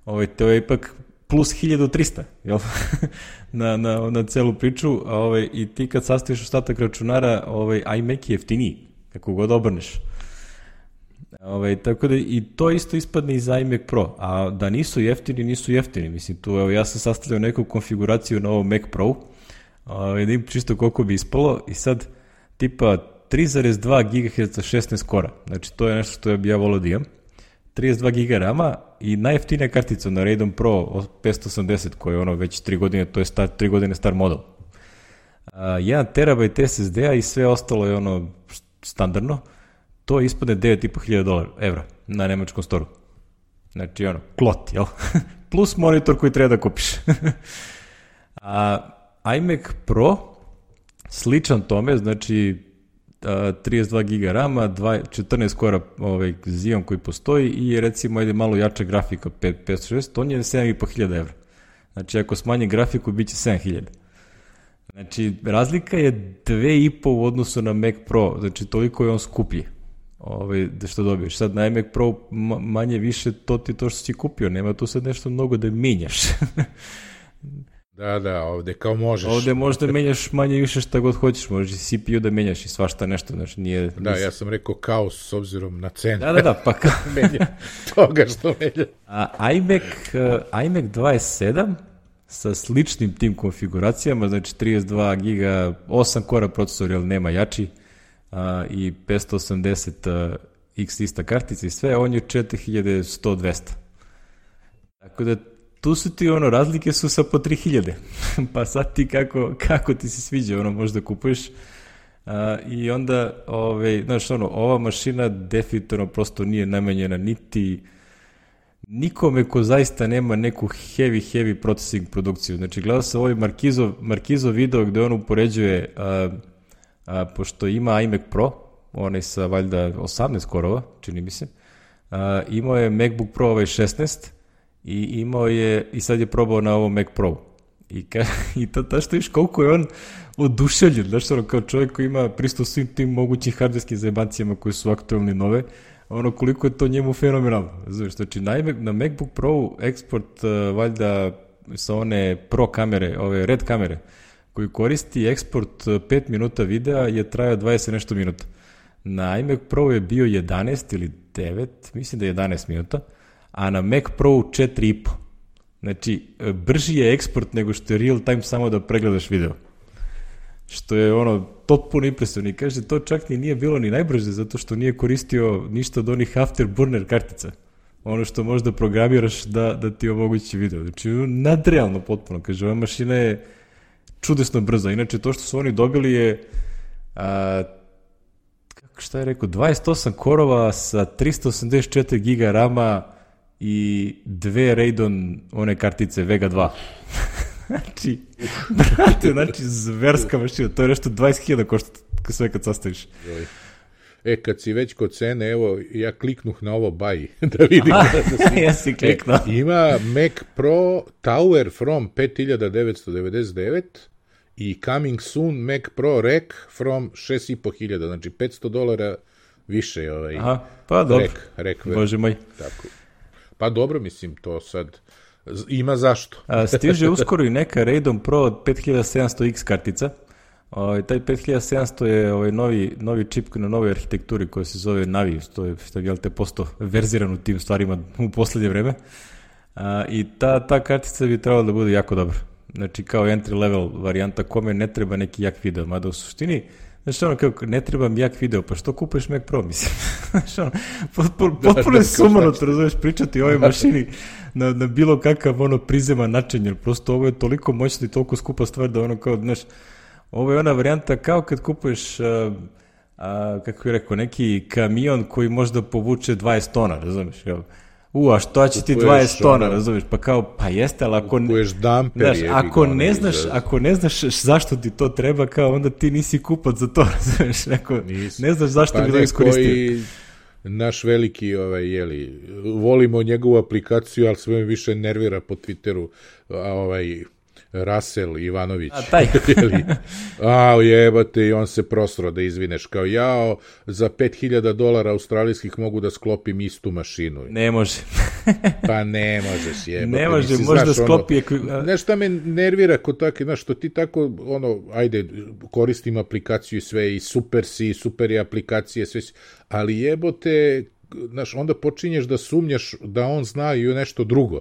ovaj, to je ipak plus hiljadu trista, jel? na, na, na celu priču, a ovaj, i ti kad sastaviš ostatak računara, ovaj, iMac je jeftiniji, kako god obrneš. Ovaj, tako da i to isto ispadne iz iMac Pro, a da nisu jeftini, nisu jeftini. Mislim, tu, evo, ja sam sastavljao neku konfiguraciju na ovom Mac Pro, ovaj, da im čisto koliko bi ispalo, i sad tipa tri zarez dva gigaherca šesnaest kora, znači to je nešto što bi ja volio da imam, trideset dva giga rama i najjeftinija kartica na Radeon Pro petsto osamdeset koja je ono već tri godine, to je star, tri godine star model. jedan terabajt S S D-a i sve ostalo je ono standardno, to ispadne devet i po hiljada dolara, evra na nemačkom storu. Znači ono, klot, jel? Plus monitor koji treba da kupiš. A iMac Pro sličan tome, znači trideset dva giga rama, četrnaest kora ovaj, Xeon koji postoji i recimo ajde malo jača grafika petsto šest, on je sedam i po hiljada evra. Znači ako smanji grafiku bit će sedam hiljada. Znači razlika je dve i po u odnosu na Mac Pro, znači toliko je on skuplji. Ovaj, da što dobiješ. Sad na iMac Pro manje više to ti to što si kupio, nema tu sad nešto mnogo da menjaš. Da, da, ovde kao možeš. Ovde možda menjaš manje više šta god hoćeš, možeš i C P U da menjaš i svašta nešto, znači nije... Da, ja sam rekao kaos s obzirom na cenu. Da, da, da, pa kao... menja toga što menja. A iMac, uh, iMac dvadeset sedam sa sličnim tim konfiguracijama, znači trideset dva giga, osam kora procesor, jer nema jači, uh, i petsto osamdeset uh, X trista kartica i sve, on je četiri hiljade sto dvesta. Tako da tu su ti ono, razlike su sa po tri hiljade, pa sad ti kako, kako ti se sviđa, ono možda kupuješ, uh, i onda, ove, znaš, ono, ova mašina definitivno prosto nije namenjena niti, nikome ko zaista nema neku heavy, heavy processing produkciju. Znači, gledao sam ovaj Markizo, Markizo video gde on upoređuje, a, a, pošto ima iMac Pro, onaj sa valjda osamnaest korova, čini mi se, a, imao je MacBook Pro ovaj šesnaest i imao je, i sad je probao na ovom Mac Pro. I, ka, i ta, ta što viš koliko je on oduševljen, znaš, ono, kao čovjek koji ima pristup svim tim mogućim hardverskim zajebancijama koji su aktualni nove, ono koliko je to njemu fenomenalno. Znaš, znači na, na MacBook Pro eksport uh, valjda sa one Pro kamere, ove red kamere, koji koristi eksport pet minuta videa je trajao dvadeset nešto minuta. Na iMac Pro je bio jedanaest ili devet, mislim da je jedanaest minuta, a na Mac Pro četiri i po. Znači, brži je eksport nego što je real time samo da pregledaš video. Što je ono, potpuno impresivno. I kaže, to čak ni nije bilo ni najbrže, zato što nije koristio ništa od onih afterburner kartica. Ono što možda programiraš da, da ti omogući video. Znači, nadrealno potpuno. Kaže, ova mašina je čudesno brza. Inače, to što su oni dobili je, a, kako šta je rekao, dvadeset osam korova sa tristo osamdeset četiri giga rama i dve Radeon one kartice Vega dva. Znači, brate, znači, zverska mašina, to je nešto dvadeset hiljada košta sve kad sastaviš. E, kad si već kod cene, evo, ja kliknuh na ovo buy, da vidim. Aha, da si... ja si kliknuo. E, ima Mac Pro Tower from pet hiljada devetsto devedeset devet i Coming Soon Mac Pro Rec from šest i po hiljada, znači petsto dolara više ovaj. Aha, pa dobro, rec, rec, bože moj. Tako. Pa dobro, mislim, to sad ima zašto. A, stiže uskoro i neka Radeon Pro pet hiljada sedamsto X kartica. O, taj pet hiljada sedamsto je ovaj novi, novi čip na novoj arhitekturi koja se zove Navi, to je, što je jel te posto verziran u tim stvarima u poslednje vreme. A, I ta, ta kartica bi trebala da bude jako dobra. Znači kao entry level varijanta kome ne treba neki jak video, mada u suštini znači ono kao, ne treba mi jak video, pa što kupuješ Mac Pro, mislim? Znači ono, potpuno, potpuno je sumano, te razumeš, pričati o ovoj mašini na, na bilo kakav ono prizema način, jer prosto ovo je toliko moćno i toliko skupa stvar da ono kao, znaš, ovo je ona varijanta kao kad kupuješ, a, a, kako bih rekao, neki kamion koji možda povuče dvadeset tona, razumeš, jel? U, a što će ti dvadeset tona, razumiješ, pa kao, pa jeste, ali ako, damper, znaš, ako, ne znaš, ako ne znaš zašto ti to treba, kao onda ti nisi kupac za to, razumiješ, neko, ne znaš zašto pa bi to iskoristio. Naš veliki, ovaj, jeli, volimo njegovu aplikaciju, ali sve mi više nervira po Twitteru, a ovaj... Rasel Ivanović. A, taj. A, jebate, i on se prosro da izvineš kao, jao, za pet hiljada dolara australijskih mogu da sklopim istu mašinu. Ne može. Pa ne možeš, jebate. Ne može, možda sklopi... Ono, znaš šta me nervira kod tako, znaš, što ti tako, ono, ajde, koristim aplikaciju i sve, i super si, i super je aplikacije, sve si, ali jebote, znaš, onda počinješ da sumnjaš da on zna i nešto drugo.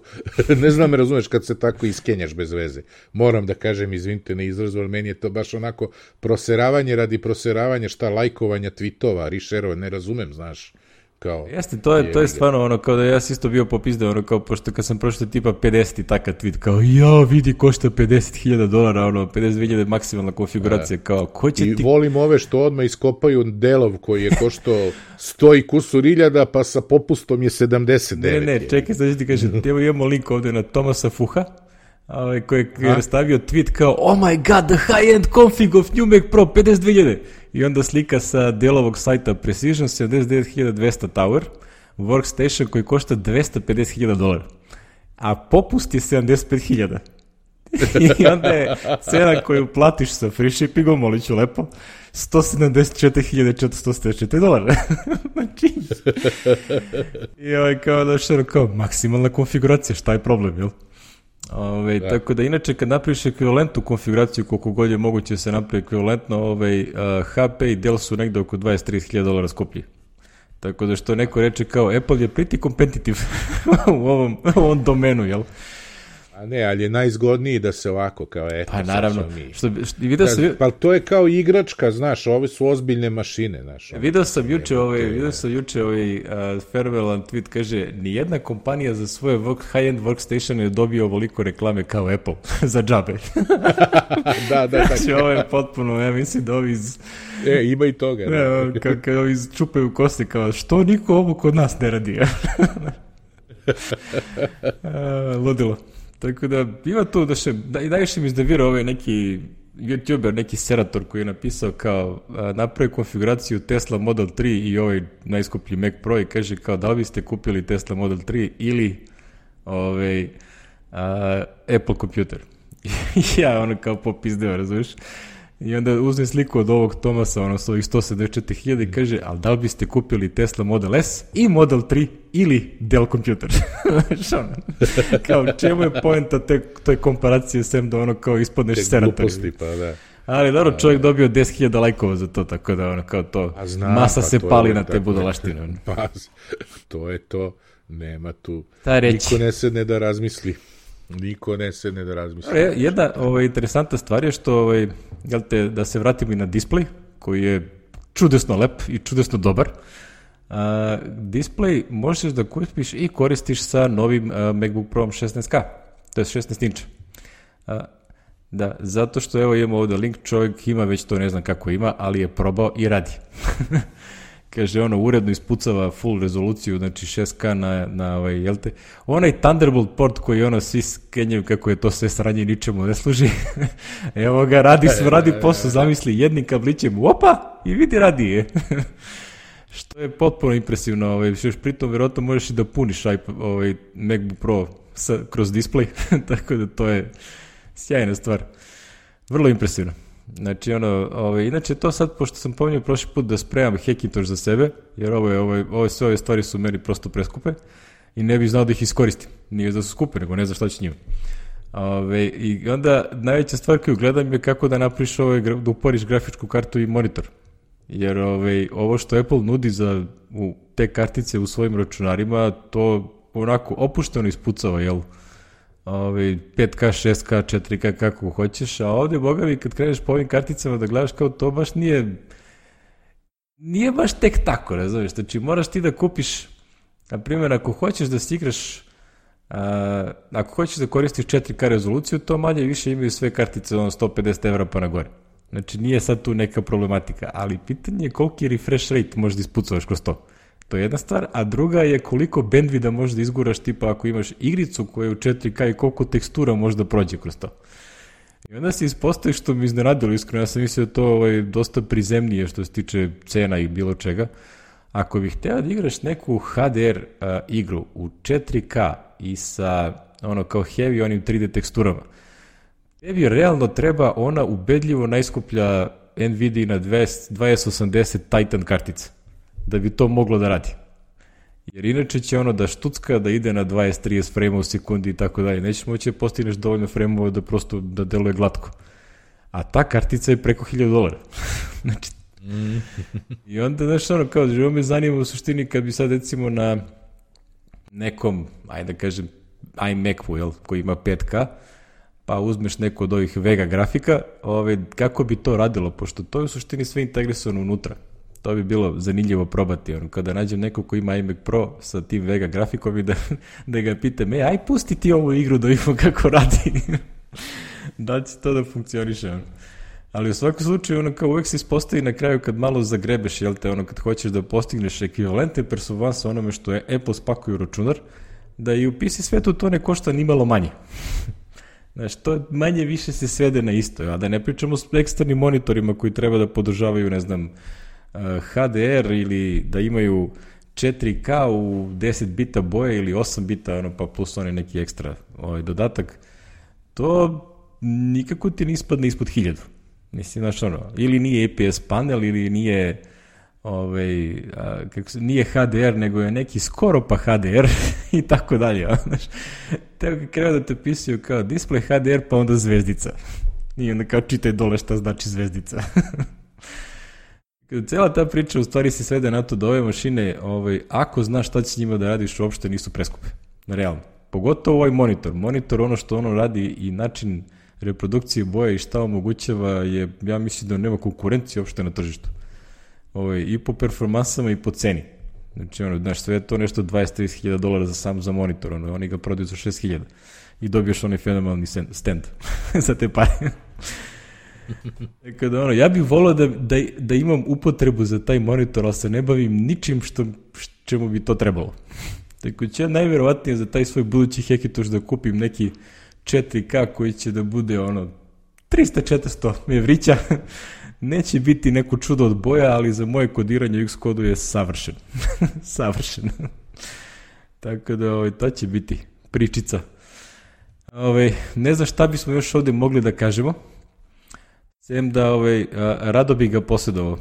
Ne znam, me razumeš kad se tako iskenjaš bez veze. Moram da kažem, izvinite na izrazu, ali meni je to baš onako proseravanje radi proseravanja, šta, lajkovanja tweetova, rešerova, ne razumem, znaš. Kao, jeste, to je, to je stvarno ono, kao da ja si isto bio popizdeo, ono, kao, pošto kad sam prošao tipa pedeset i takav tweet, kao, ja, vidi, košta pedeset hiljada dolara, ono, pedeset dve hiljade maksimalna konfiguracija, kao, ko će I ti... I volim ove što odmah iskopaju delov koji je koštao sto i kusur iljada, pa sa popustom je sedamdeset devet. Ne, ne, čekaj, sad ću ti kažem, evo imamo link ovde na Tomasa Fuha, ovaj, koji je stavio tweet kao, oh my god, the high-end config of new Mac Pro, pedeset dve hiljade. I onda slika sa delovog sajta Precision sedamdeset devet hiljada dvesta Tower, workstation koji košta dvesta pedeset hiljada dolara. A popust je sedamdeset pet hiljada. I onda je cena koju platiš sa free shippingom, molit ću lepo, sto sedamdeset četiri hiljade četiristo osamdeset četiri dolara. Znači, i ovaj kao da što kao maksimalna konfiguracija, šta je problem, jel? Ove, da. Tako da inače kad napraviš ekvivalentnu konfiguraciju koliko god je moguće se napravi ekvivalentno, ovaj, uh, H P i Dell su negde oko dvadeset do trideset hiljada dolara skuplji. Tako da što neko reče kao Apple je pretty competitive u, ovom, u ovom domenu, jel? A ne, ali je najzgodniji da se ovako kao eto. Pa naravno. Što, što, video sam, pa to je kao igračka, znaš, ove su ozbiljne mašine, znaš. Video sam juče ovaj, video sam juče ovaj uh, Farewell tweet, kaže, nijedna kompanija za svoje work, high-end workstation ne dobio ovoliko reklame kao Apple za džabe. Da, da, tako. Znači, ovo je potpuno, ja mislim da ovi iz... E, ima i toga. Ne, kad ovi čupaju kosti, kao, što niko ovo kod nas ne radi? A, ludilo. Tako da, ima tu da še, da, i najviše mi izdavira ovaj neki YouTuber, neki serator koji je napisao kao a, napravi konfiguraciju Tesla Model tri i ovaj najskuplji Mac Pro i kaže kao da li biste kupili Tesla Model tri ili ovaj, a, Apple kompjuter. Ja ono kao popizdeo, razumiješ? I onda uzme sliku od ovog Tomasa, ono, s ovih sto sedamdeset četiri hiljade i kaže, ali da li biste kupili Tesla Model S i Model tri ili Dell kompjuter? Kao, čemu je poenta te, toj komparacije sem da ono kao ispadneš seratar? Pa, da. Ali dobro, čovjek dobio deset hiljada lajkova za to, tako da ono kao to, znam, masa pa se pali je, na te budalaštine. Pa, to je to, nema tu, niko ne sedne da razmisli. Niko ne sedne da razmisli. Jedna ovaj, interesantna stvar je što, ovaj, jel te, da se vratimo i na display, koji je čudesno lep i čudesno dobar. Uh, display možeš da kupiš i koristiš sa novim uh, MacBook Pro šesnaest K, to je šesnaest inča. Uh, da, zato što evo imamo ovdje link, čovjek ima već to, ne znam kako ima, ali je probao i radi. Kaže, ono, uredno ispucava full rezoluciju, znači šest K na, na ovaj, jel te, onaj Thunderbolt port koji ono svi skenjaju kako je to sve sranje i ničemu ne služi. Evo ga, radi, radi posao, zamisli, jednim kablićem, opa, i vidi, radi je. Što je potpuno impresivno, ovaj, što još pritom vjerojatno možeš i da puniš ovaj, MacBook Pro sa, kroz display, tako da to je sjajna stvar. Vrlo impresivno. Znači, ono, ovaj, inače to sad, pošto sam pominjao prošli put da spremam Hackintosh za sebe, jer ovo je, ovaj, ove, sve ove stvari su meni prosto preskupe i ne bih znao da ih iskoristim. Nije da su skupe, nego ne znam šta će njima. Ove, I onda najveća stvar koju gledam je kako da napriš ovaj, da uporiš grafičku kartu i monitor. Jer ovaj, ovo što Apple nudi za u, te kartice u svojim računarima, to onako opušteno ispucava, jel? Ove, pet K, šest K, četiri K, kako hoćeš, a ovdje, boga mi, kad kreneš po ovim karticama da gledaš kao to baš nije nije baš tek tako, razumiješ, znači moraš ti da kupiš, na primjer, ako hoćeš da si igraš, a, ako hoćeš da koristiš četiri K rezoluciju, to manje više imaju sve kartice ono sto pedeset evra pa na gore. Znači nije sad tu neka problematika, ali pitanje je koliki refresh rate možeš da ispucavaš kroz to. To je jedna stvar, a druga je koliko bandwidtha možeš da izguraš, tipa ako imaš igricu koja je u četiri K i koliko tekstura može da prođe kroz to. I onda se ispostavi što mi iznenadilo, iskreno, ja sam mislio da to ovaj, dosta prizemnije što se tiče cena i bilo čega. Ako bih hteo da igraš neku H D R uh, igru u četiri K i sa ono kao heavy onim tri D teksturama, tebi realno treba ona ubedljivo najskuplja Nvidia na dvadeset osamdeset Titan kartica da bi to moglo da radi. Jer inače će ono da štucka, da ide na dvadeset trideset frame u sekundi i tako dalje. Nećeš moći da postigneš dovoljno frame-ova da prosto da deluje glatko. A ta kartica je preko hiljadu dolara. Znači, mm. I onda, znaš, ono, kao, živo me zanima u suštini kad bi sad, recimo, na nekom, ajde da kažem, iMacu, jel, koji ima pet K, pa uzmeš neku od ovih Vega grafika, ove, kako bi to radilo, pošto to je u suštini sve integrisano unutra. To bi bilo zanimljivo probati, ono, kada nađem neko ko ima iMac Pro sa tim Vega grafikom i da, da ga pitam, e, aj pusti ti ovu igru da vidimo kako radi. Da će to da funkcioniše, ono. Ali u svakom slučaju, ono, kao uvek se ispostavi na kraju kad malo zagrebeš, jel te, ono, kad hoćeš da postigneš ekvivalente performansa onome što je Apple spakuje u računar, da i u P C svetu to ne košta ni malo manje. Znaš, to manje više se svede na isto, a da ne pričamo s eksternim monitorima koji treba da podržavaju, ne znam, H D R ili da imaju četiri K u deset bita boje ili osam bita, ono, pa plus onaj neki ekstra ovaj, dodatak, to nikako ti ne ispadne ispod hiljadu. Mislim, znaš, ono, ili nije A P S panel, ili nije ovaj, a, kako se, nije H D R, nego je neki skoro pa H D R i tako dalje. Znaš, te krenu da te pisuju kao display H D R, pa onda zvezdica. I onda kao čitaj dole šta znači zvezdica. Cijela ta priča u stvari se svede na to da ove mašine, ovaj, ako znaš šta će njima da radiš, uopšte nisu preskupe. Realno. Pogotovo ovaj monitor. Monitor, ono što ono radi i način reprodukcije boje i šta omogućava je, ja mislim da nema konkurencije uopšte na tržištu. Ovaj, i po performansama i po ceni. Znači, ono, znaš, sve je to nešto dvadeset do trideset hiljada dolara za sam za monitor. Ono, oni ga prodaju za šest hiljada. I dobiješ onaj fenomenalni stand za te pare. Kada, ono, ja bih volao da, da, da imam upotrebu za taj monitor, ali se ne bavim ničim što, čemu bi to trebalo. Tako će najvjerovatnije za taj svoj budući Hackintosh da kupim neki četiri K koji će da bude ono trista do četiristo evrića. Neće biti neko čudo od boja, ali za moje kodiranje u Xcodu je savršen. Savršen. Tako da ovaj, to će biti pričica. Ovaj, ne znam šta bismo još ovdje mogli da kažemo. Sem da ovaj, a, rado bi ga posjedovao.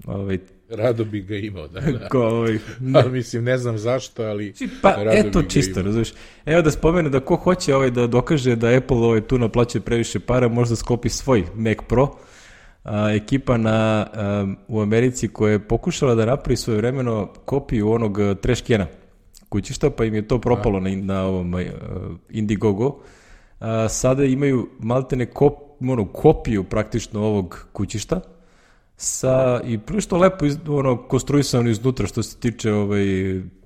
Ovaj, rado bi ga imao, da. da. Ko, ovaj, ali mislim, ne znam zašto, ali pa, eto čisto, razumiješ. Evo da spomene da ko hoće ovaj, da dokaže da Apple ovaj, tu naplaćuje previše para, možda sklopi svoj Mac Pro. A, ekipa na, a, u Americi koja je pokušala da napravi svojevremeno kopiju onog trash cana kućišta, pa im je to propalo na, na ovom uh, Indiegogo. A, sada imaju maltene kop, ono, kopiju praktično ovog kućišta sa, i prilično lepo iz, ono, konstruisano iznutra što se tiče ovaj,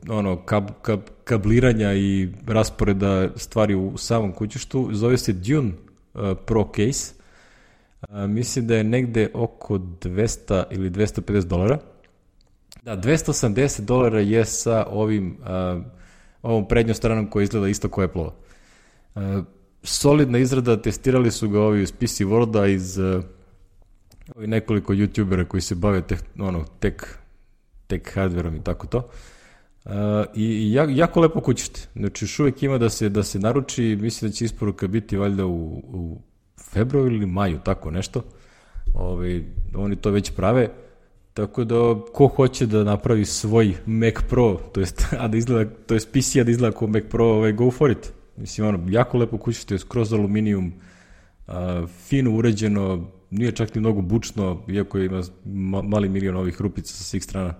ono, kab, kab, kabliranja i rasporeda stvari u samom kućištu. Zove se Dune uh, Pro Case. Uh, mislim da je negde oko dvesta ili dvesta pedeset dolara. Da, dvesta osamdeset dolara je sa ovim, uh, ovom prednjom stranom koja izgleda isto kao Apple-ova. Uh, solidna izrada, testirali su ga ovi iz P C World-a, iz uh, ovi nekoliko youtubera koji se bave teh, ono, tek, tek hardverom i tako to. Uh, I i jako, jako lepo kućište. Znači, još uvijek ima da se, da se naruči, mislim da će isporuka biti valjda u, u februaru ili maju, tako nešto. Ove, oni to već prave. Tako da, ko hoće da napravi svoj Mac Pro, to jest, a da izgleda, to jest P C, a da izgleda kao Mac Pro, ovaj, go for it. Mislim, ono, jako lepo kućište, skroz aluminijum, a, fino uređeno, nije čak ni mnogo bučno, iako ima mali milion ovih rupica sa svih strana.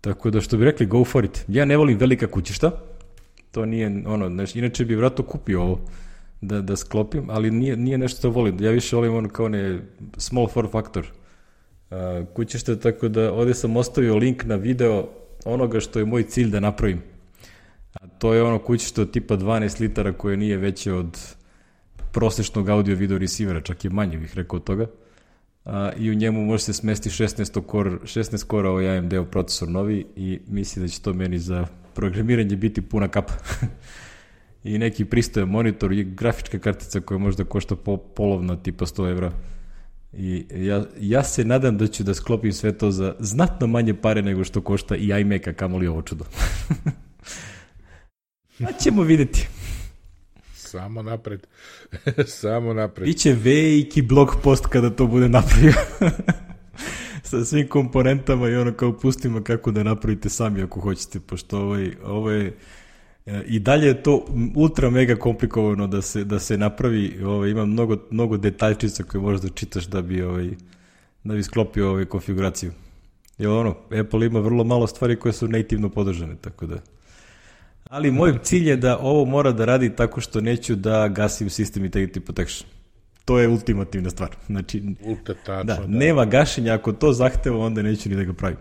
Tako da, što bi rekli, go for it. Ja ne volim velika kućišta, to nije, ono, znači, inače bi vratno kupio ovo da, da sklopim, ali nije, nije nešto što volim. Ja više volim ono kao ne small form factor Uh, kućište, tako da ovdje sam ostavio link na video onoga što je moj cilj da napravim. A to je ono kućište od tipa dvanaest litara koje nije veće od prosječnog audio video receivera, čak je manje bih rekao od toga. Uh, I u njemu može se smesti šesnaest core, šesnaest core ovaj A M D-ov procesor novi i mislim da će to meni za programiranje biti puna kapa. I neki pristojan monitor i grafička kartica koja možda košta po, polovno tipa sto evra. I ja, ja se nadam da ću da sklopim sve to za znatno manje pare nego što košta i iMac, a kamoli ovo čudo. Pa ćemo vidjeti. Samo napred. Samo napred. Biće veliki blog post kada to bude napravio. Sa svim komponentama i ono kao pustimo kako da napravite sami ako hoćete, pošto ovaj, ovo je i dalje je to ultra mega komplikovano da se, da se napravi, ovaj, ima mnogo, mnogo detaljčica koje možeš da čitaš da bi, ovaj, da bi sklopio ovaj konfiguraciju. Jer ono, Apple ima vrlo malo stvari koje su nativno podržane, tako da. Ali moj cilj je da ovo mora da radi tako što neću da gasim System Integrity Protection. To je ultimativna stvar. Znači, Ultra tačno, da, da. nema gašenja, ako to zahteva, onda neću ni da ga pravim.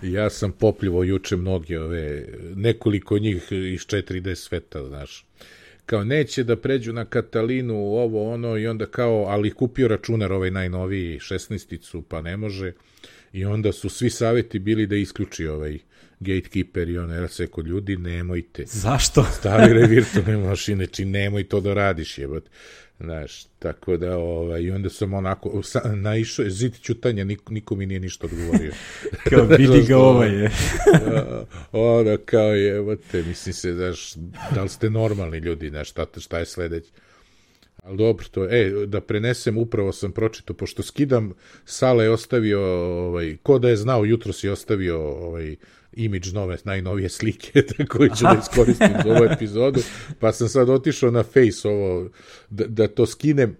Ja sam popljivo juče mnogi ove, nekoliko njih iz četiri D sveta, znaš. Kao neće da pređu na Katalinu, ovo, ono, i onda kao, ali kupio računar ovaj najnoviji, šesnaesticu, pa ne može. I onda su svi savjeti bili da isključi ovaj Gatekeeper i ono, ja se kod ljudi, nemojte. Zašto? Stavi re virtualne mašine, či nemoj to da radiš, jebat. Znaš, tako da, ovaj, i onda sam onako, sa, naišao, zid ćutanja, niko, niko mi nije ništa odgovorio. Kao vidi ga ovaj je. Ono, kao je, te, mislim se, znaš, da li ste normalni ljudi, znaš, šta, šta je sledeće. Ali dobro, to, e, da prenesem, upravo sam pročitao, pošto skidam, Sala je ostavio, ovaj, ko da je znao, jutro si ostavio, ovaj, imidž nove, najnovije slike, koji ću da iskoristim za ovu epizodu, pa sam sad otišao na Face ovo, da, da to skinem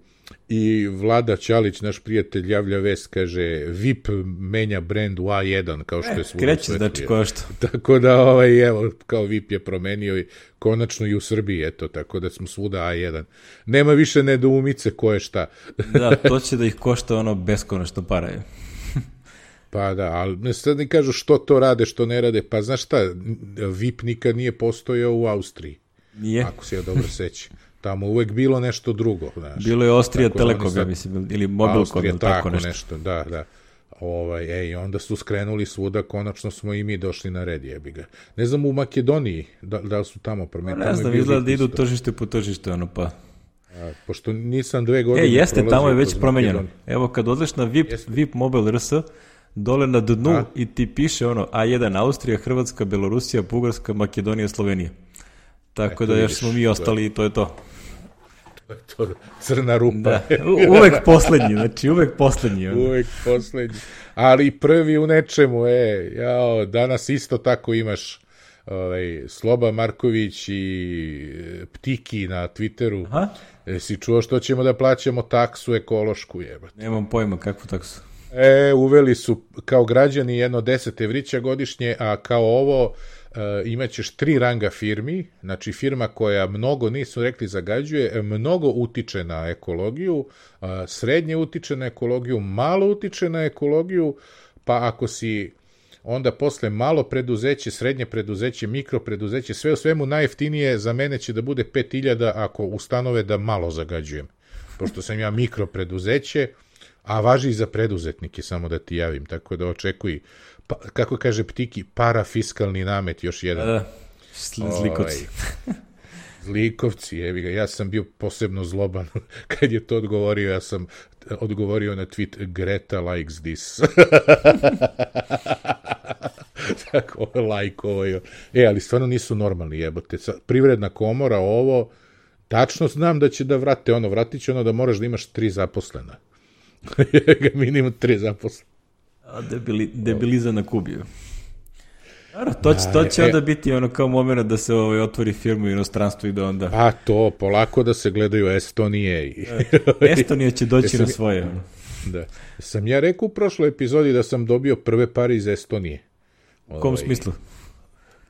i Vlada Ćalić, naš prijatelj, javlja vest, kaže, V I P menja brand u A jedan, kao što je svuda. Kreće, znači, ko što. Tako da, ovaj, evo, kao V I P je promenio i konačno i u Srbiji, eto, tako da smo svuda A jedan. Nema više nedoumice ko je šta. Da, to će da ih košta ono beskonačno paraju. Pa da, ali sad ne kažu što to rade, što ne rade. Pa znaš šta, V I P nikad nije postojao u Austriji. Nije. Ako se ja dobro sećam. Tamo uvek bilo nešto drugo. Znaš. Bilo je Austrija Telekom, ja mislim, ili Mobilcom, Austrija, ili tako, tako nešto. nešto. Da, da. Ovaj, ej, onda su skrenuli svuda, konačno smo i mi došli na red, jebi ga. Ne znam u Makedoniji, da, da li su tamo promenili. Ne znam, izgleda da idu tržište po tržište, ono pa... A, pošto nisam dve godine... E, jeste, tamo je već promenjeno. Evo, kad odleš na V I P, V I P Mobile R S, dole na dnu a? I ti piše ono A jedan Austrija, Hrvatska, Belorusija, Bugarska, Makedonija, Slovenija. Tako e, da još smo mi ostali i to je to. To je to, crna rupa. Da, uvek poslednji, znači uvek poslednji. Ono. Uvek poslednji. Ali prvi u nečemu, e, jao, danas isto tako imaš ovaj, Sloba Marković i Ptiki na Twitteru. Aha. E, si čuo što ćemo da plaćamo taksu ekološku, jebate. Nemam pojma kakvu taksu. E, uveli su kao građani jedno deset evrića godišnje, a kao ovo uh, imaćeš tri ranga firmi, znači firma koja mnogo, nisu rekli zagađuje, mnogo utiče na ekologiju, uh, srednje utiče na ekologiju, malo utiče na ekologiju, pa ako si onda posle malo preduzeće, srednje preduzeće, mikro preduzeće, sve u svemu najjeftinije za mene će da bude pet hiljada ako ustanove da malo zagađujem, pošto sam ja mikro preduzeće, a važi i za preduzetnike, samo da ti javim, tako da očekuj, pa, kako kaže Ptiki, parafiskalni namet, još jedan. Da, zlikovci. Ovaj, zlikovci, evi ga, ja sam bio posebno zloban kad je to odgovorio, ja sam odgovorio na tweet Greta likes this. Tako, like ovo je. E, ali stvarno nisu normalni, jebote. Privredna komora, ovo, tačno znam da će da vrate ono, vratit će ono da moraš da imaš tri zaposlena. Minimum tri zaposle. A debili, debiliza na Kubiju. Naravno, to će, to će onda biti ono kao moment da se ovaj, otvori firmu u inostranstvu i da onda... Pa to, polako da se gledaju Estonije. I... Estonija će doći na svoje. Ja, da. Sam ja rekao u prošloj epizodi da sam dobio prve pare iz Estonije. U kom ovaj, smislu?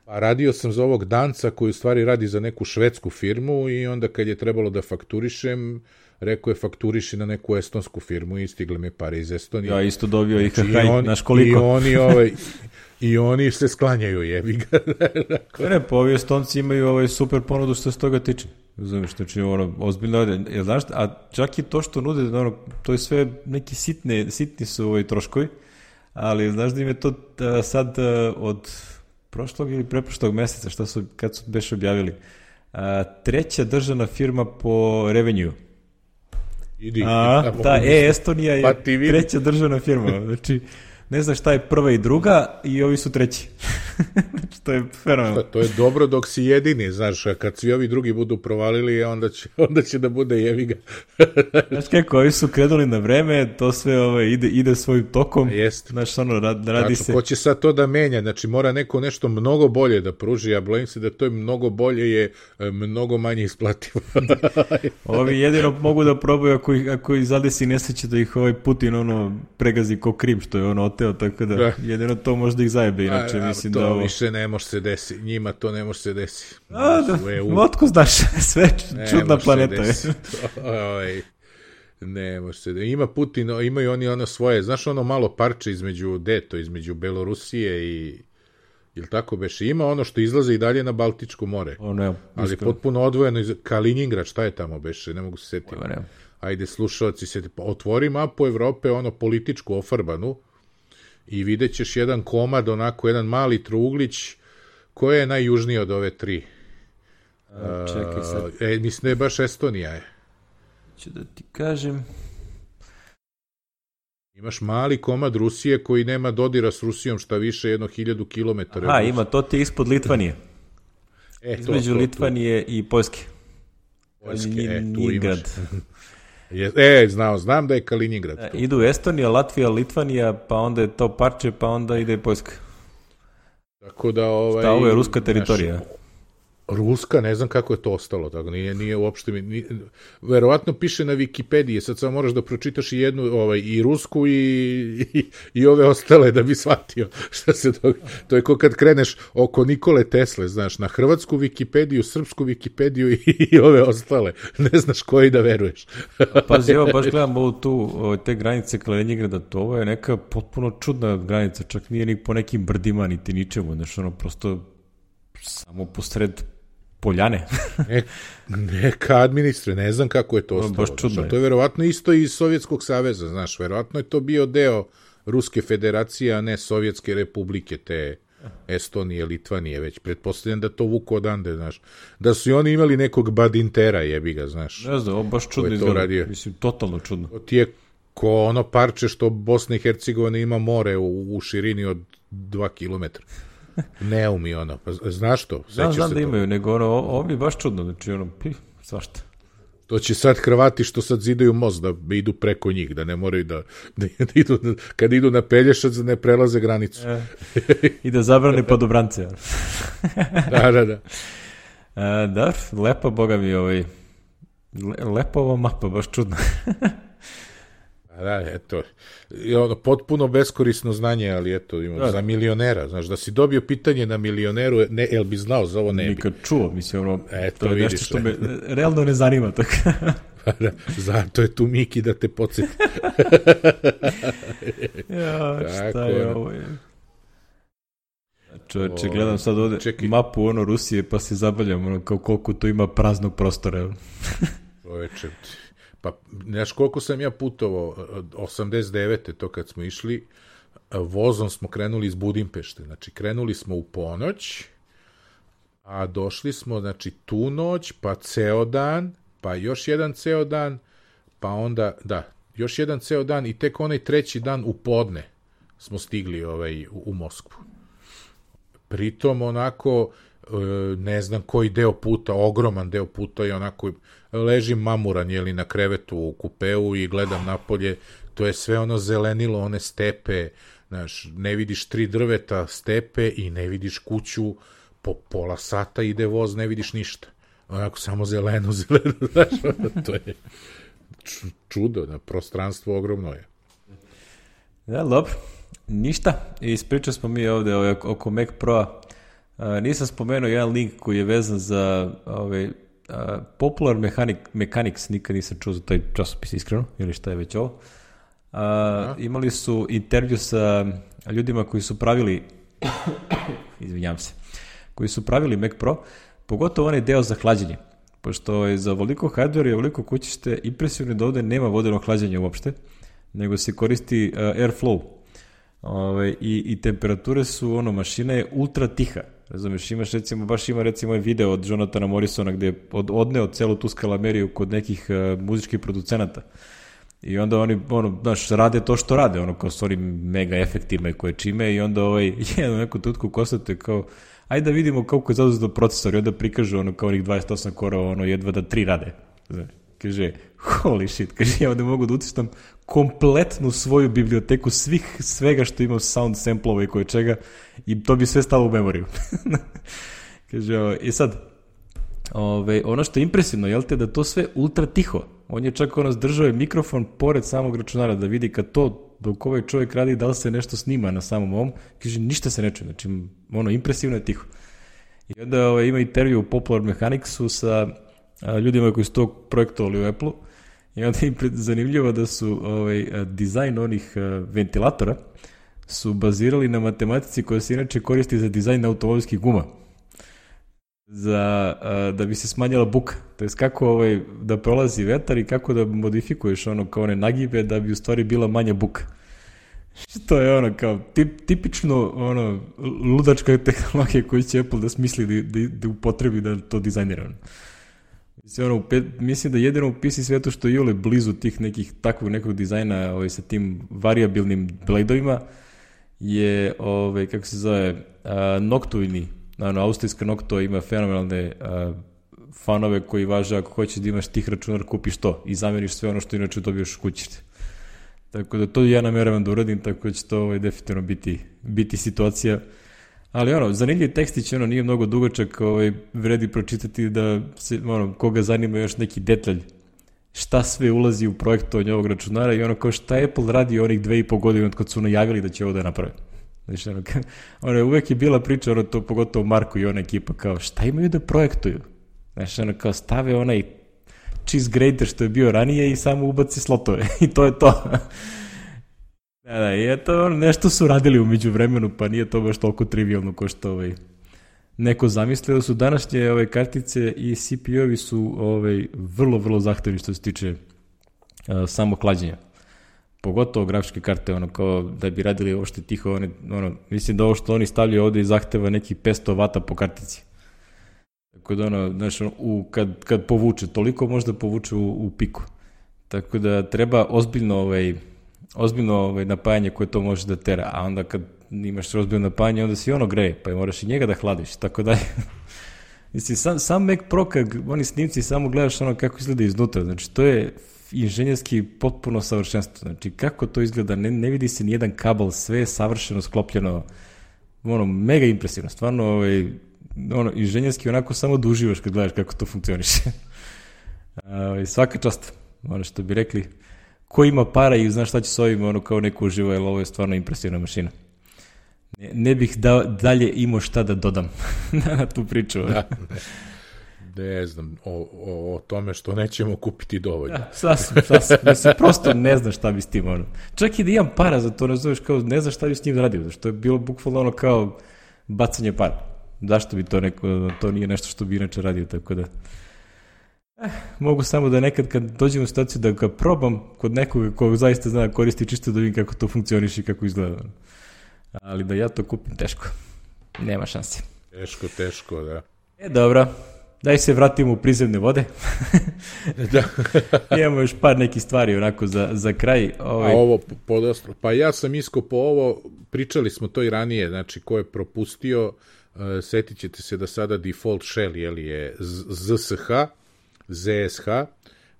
Pa radio sam za ovog Danca koji u stvari radi za neku švedsku firmu i onda kad je trebalo da fakturišem, rekao je fakturiši na neku estonsku firmu i stigle mi pare iz Estonije. Ja isto dobio ih, znači, haj, naš koliko. I oni, ovaj, i oni se sklanjaju, jebi ga. Ne, pa ovi Estonci imaju ovaj super ponudu što se toga tiče. Znaš, znači, ono, ozbiljno, jel znaš, a čak i to što nude, ono, to je sve neki sitne, sitni su ovaj troškovi, ali znaš da im je to a, sad a, od prošlog ili preprošlog meseca, što su, kad su beš objavili, a, treća državna firma po revenue. Idi, a, ta e-Estonija je pa treća državna firma, znači ne znaš šta je prva i druga i ovi su treći. Znači to je fenomenalno. To je dobro dok si jedini, znaš, kad svi ovi drugi budu provalili, onda će, onda će da bude jeviga. Znaš kako, ovi su krenuli na vreme, to sve ovaj, ide, ide svojim tokom. Jeste. Znaš, ono, rad, radi znači, se... Ko će sad to da menja? Znači, mora neko nešto mnogo bolje da pruži, ja bojim se da to je mnogo bolje je mnogo manje isplativo. Ovi jedino mogu da probaju ako, ako ih zadesi nesreće da ih ovaj Putin ono pregazi ko Krim, što je ono oteo, tako da, da. jedino to možda ih zajebe, inače a, mislim to da ovo... više ne može se desi, njima to ne može se desi. A, da, otko znaš, sve čudna planeta je. Oj, ne može se desi. Ima Putin, imaju oni ono svoje, znaš ono malo parče između, deto, između Belorusije i... Jel tako beše? Ima ono što izlaze i dalje na Baltičko more. O, ne, ali je potpuno odvojeno iz Kaliningrad, šta je tamo beše? Ne mogu se setiti. Ajde, slušalci, seti. Otvori mapu Evrope, ono političku ofarbanu, i vidjet ćeš jedan komad, onako, jedan mali trouglić, koja je najjužnija od ove tri. A, čekaj sad. E, mislim da je baš Estonija, je. Ću da ti kažem... Imaš mali komad Rusije koji nema dodira s Rusijom, šta više jedno hiljadu kilometara. Aha, ima, to ti ispod Litvanije. E, to, između to, Litvanije to. i Poljske. Poljske, e, tu imaš. E, znao, znam da je Kaliningrad. E, idu Estonija, Latvija, Litvanija, pa onda je to parče, pa onda ide Poljska. Tako da, ovaj... Šta, ovo je ruska teritorija? Naš, ruska, ne znam kako je to ostalo, tako, nije, nije uopšte, nije, verovatno piše na Wikipediji, sad samo moraš da pročitaš i jednu, ovaj, i rusku i, i, i ove ostale da bi shvatio šta se događa. To je ko kad kreneš oko Nikole Tesle, znaš, na hrvatsku Wikipediju, srpsku Wikipediju i, i ove ostale, ne znaš koji da veruješ. Pazi, evo, baš gledam ovu tu, te granice Kaliningrada, to ovo je neka potpuno čudna granica, čak nije ni po nekim brdima, niti ničemu, znaš, ono, prosto samo posred Poljane. ne, neka administre, ne znam kako je to ostalo. Baš čudno je. To je verovatno isto iz Sovjetskog saveza, znaš, verovatno je to bio deo Ruske federacije, a ne Sovjetske republike, te Estonije, Litvanije, već pretpostavljam da to vuku odande, znaš. Da su i oni imali nekog badintera, jebi ga, znaš. Ne znam, ovo baš čudno izgleda. Mislim, totalno čudno. To ti je ko ono parče što Bosna i Hercegovina ima more u, u širini od dva kilometra. Neumi ono, pa znaš to? Znam, znam da imaju, nego ono, ovo je baš čudno, znači ono, pi, svašta. To će sad Hrvati što sad zidaju most da idu preko njih, da ne moraju da, da, da idu, kad idu na Pelješac da ne prelaze granicu. E, I da zabrane podobrance. Da, da, da. E, da, lepa, boga mi, ovaj, le, lepa ova mapa, baš čudno. Da, eto, ono, potpuno beskorisno znanje, ali eto, ima, da, za milionera, znaš, da si dobio pitanje na milioneru, ne, jel bi znao, za ovo ne bi. Nikad čuo, mislim, ono, eto, to je vidiš, nešto što me realno ne zanima, tako. Da, zato je tu Miki da te podsjeti. Ja, šta je ovo? Čovječe, gledam sad ovde čekaj. mapu ono Rusije, pa se zabavljam, ono, kao koliko to ima praznog prostora. Čovječe, pa, znaš koliko sam ja putovao, osamdeset devete to kad smo išli, vozom smo krenuli iz Budimpešte, znači krenuli smo u ponoć, a došli smo, znači, tu noć, pa ceo dan, pa još jedan ceo dan, pa onda, da, još jedan ceo dan i tek onaj treći dan u podne smo stigli ovaj, u, u Moskvu. Pritom onako, ne znam koji deo puta, ogroman deo puta je onako, ležim mamuran, jeli, na krevetu u kupeu i gledam napolje, to je sve ono zelenilo, one stepe, znaš, ne vidiš tri drveta, stepe i ne vidiš kuću, po pola sata ide voz, ne vidiš ništa. Onako samo zeleno, zeleno, znaš, to je čudo, na prostranstvo ogromno je. Ja, dobro, ništa, ispričali smo mi ovde oko Mac Pro-a. Nisam spomenuo jedan link koji je vezan za ovaj, Popular Mechanic, Mechanics, nikad nisam čuo za taj časopis iskreno, ili šta je već ovo. A, imali su intervju sa ljudima koji su pravili izvinjam se, koji su pravili Mac Pro, pogotovo onaj deo za hlađenje, pošto je za ovoliko hardware i ovoliko kućište impresivno da ovde nema vodenog hlađenja uopšte, nego se koristi uh, airflow. Ove, i, i temperature su, ono, mašina je ultra tiha. Razumeš, imaš recimo, baš ima recimo ovaj video od Jonathana Morrisona gde je od, odneo celu tu skalameriju kod nekih uh, muzičkih producenata. I onda oni, ono, znaš, rade to što rade, ono, kao s onim mega efektima i koje čime, i onda ovaj, jednu neku tutku kostate kao, ajde da vidimo kako je zauzeo procesor, i onda prikažu ono kao onih dvadeset osam korova, ono, jedva da tri rade. Znaš, kaže, holy shit, kaže, ja ovde mogu da utistam kompletnu svoju biblioteku svih, svega što ima sound samplova i koje čega, i to bi sve stalo u memoriju. Kaže, o, i sad, ove, ono što je impresivno, jel te, da to sve ultra tiho. On je čak ono zdržao je mikrofon pored samog računara da vidi kad to, dok ovaj čovjek radi, da li se nešto snima na samom ovom, kaže, ništa se ne čuje, znači, ono, impresivno je tiho. I onda ove, ima intervju u Popular Mechanicsu sa a, ljudima koji su to projektovali u Apple-u, i onda je zanimljivo da su ovaj, dizajn onih ventilatora su bazirali na matematici koja se inače koristi za dizajn automobilskih guma. Za, da bi se smanjila buka. To je kako ovaj, da prolazi vetar i kako da modifikuješ ono kao one nagibe da bi u stvari bila manja buka. Što je ono kao tip, tipično ono ludačka tehnologija koju će Apple da smisli da, da, da upotrebi da to dizajnira. Mislim, ono, mislim da jedino u P C svetu što je iole blizu tih nekih takvog nekog dizajna ovaj, sa tim variabilnim bladeovima je, ovaj, kako se zove, a, Noctuini. Ano, austrijska Noctua ima fenomenalne a, fanove koji važe ako hoćeš da imaš tih računar, kupiš to i zameniš sve ono što inače dobiješ kućište. Tako da to ja namjeravam da uradim, tako da će to ovaj, definitivno biti, biti situacija. Ali ono, zanimljiv tekstić, ono, nije mnogo dugačak, ovaj, vredi pročitati da se, ono, koga zanima još neki detalj, šta sve ulazi u projektovanje ovog računara i ono, kao šta Apple radi onih dve i po godine od kad su najavili da će ovo da naprave. Znači, ono, ono, uvek je bila priča, ono, to pogotovo Marko i ona ekipa, kao, šta imaju da projektuju? Znači, ono, kao, stave onaj cheese grater što je bio ranije i samo ubaci slotove i to je to. Da, da, i eto, nešto su radili umeđu vremenu, pa nije to baš toliko trivialno ko što ovaj, neko zamislio. Da su današnje ove kartice i C P U-ovi su ovaj, vrlo, vrlo zahtevni što se tiče uh, samo hlađenja. pogotovo grafičke karte, ono, kao da bi radili ovo što tiho, one, ono, mislim da ovo što oni stavljaju ovde zahteva neki petsto vata po kartici. Tako da, ono, znaš, u, kad, kad povuče, toliko možda povuče u, u piku. Tako da treba ozbiljno, ovaj, ozbiljno ovaj, napajanje koje to može da tera, a onda kad imaš ozbiljno napajanje, onda si ono greje, pa moraš i njega da hladiš, tako da. Mislim, sam, sam Mac Pro, kad oni snimci, samo gledaš ono kako izgleda iznutra, znači to je inženjerski potpuno savršenstvo, znači kako to izgleda, ne, ne vidi se nijedan kabel, sve je savršeno sklopljeno, ono, mega impresivno, stvarno, ovaj, ono, inženjerski onako samo da uživaš kad gledaš kako to funkcioniše. Ovaj, svaka čast, ono što bi rekli, ko ima para i zna šta će s ovim, ono kao neko uživa, jer ovo je stvarno impresivna mašina. Ne, ne bih da, dalje imao šta da dodam na tu priču. Da, ne, ne znam, o, o, o tome što nećemo kupiti dovoljno. Da, sasvim, sasvim. Mislim, prosto ne znaš šta bi s tim, ono. Čak i da imam para za to, ne znaš, kao, ne znaš šta bi s njim radio, zašto je bilo bukvalno ono kao bacanje para. Zašto bi to neko, to nije nešto što bi inače radio, tako da. Eh, mogu samo da nekad kad dođem u situaciju da ga probam kod nekoga ko zaista zna koristi, čisto da vidim kako to funkcioniše i kako izgleda. Ali da ja to kupim, teško. Nema šanse. Teško, teško, da. E, dobro. Daj se vratimo u prizemne vode. Da. Imamo još par nekih stvari onako za, za kraj. Ovaj... A ovo podostro. Pa ja sam iskopao ovo, pričali smo to i ranije, znači ko je propustio, uh, setit ćete se da sada default shell jeli, je Z S H, Z S H,